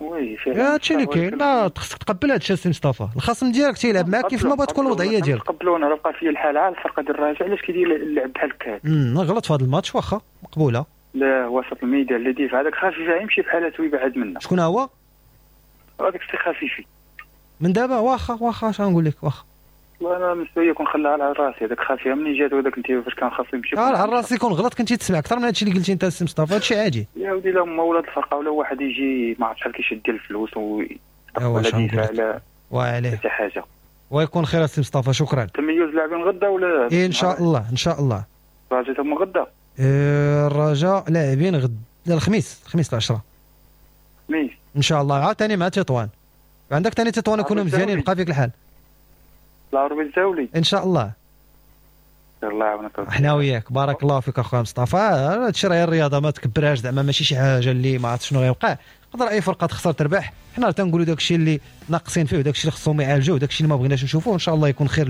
oui فعلا هادشي اللي كاين، لا خصك تقبل هادشي السي مصطفى، الخصم ديالك تيلعب معاك كيف ما بغات تكون الوضعية ديالك. تقبلوا. انا بقى فيا الحال على الفرقة ديال الرجاء علاش كيدير اللعب بحال هكا. امم غلط في هذا الماتش، واخا مقبولة. لا وسط الميدان اللي ديف هذاك خفيف يمشي بحالته ويبعد منا. شكون هو؟ هذاك السي خفيفي من دابا. واخا واخا اش غنقول لك، واخا والله انا بالنسبة لي كون خلاها على راسي هذاك خافية منين جات وهذاك انت فاش كان خاصو يمشي اه على راسي كون غلط كنتي تسمع اكثر من هادشي اللي قلتي انت السي مصطفى، هادشي عادي يا ودي. لا هما ولاد الفرقة ولا واحد يجي ما عرفت شحال كيشد ديال الفلوس و ولا دفاع على وعليه حتى حاجة. ويكون خير السي مصطفى، شكرا. تميز لاعبين غدا ولا إيه ان شاء الله ان شاء الله. الرجاء تما غدا؟ إيه الرجاء لاعبين غدا الخميس، الخميس العشرة الخميس ان شاء الله، عاوتاني مع تطوان. عندك ثاني تطوان يكونوا مزيانين، بقى فيك الحال. العربي الزاولي ان شاء الله. الله يعاونك. حنا وياك، بارك الله فيك اخويا مصطفى. هادشي راه الرياضة ما تكبرهاش، زعما ماشي شي حاجة اللي ما عرفت شنو غيوقع، يقدر اي فرقه تخسر تربح. حنا تنقولوا داكشي اللي ناقصين فيه وداكشي اللي خصهم يعالجوه وداكشي اللي ما بغيناش نشوفوه. ان شاء الله يكون خير.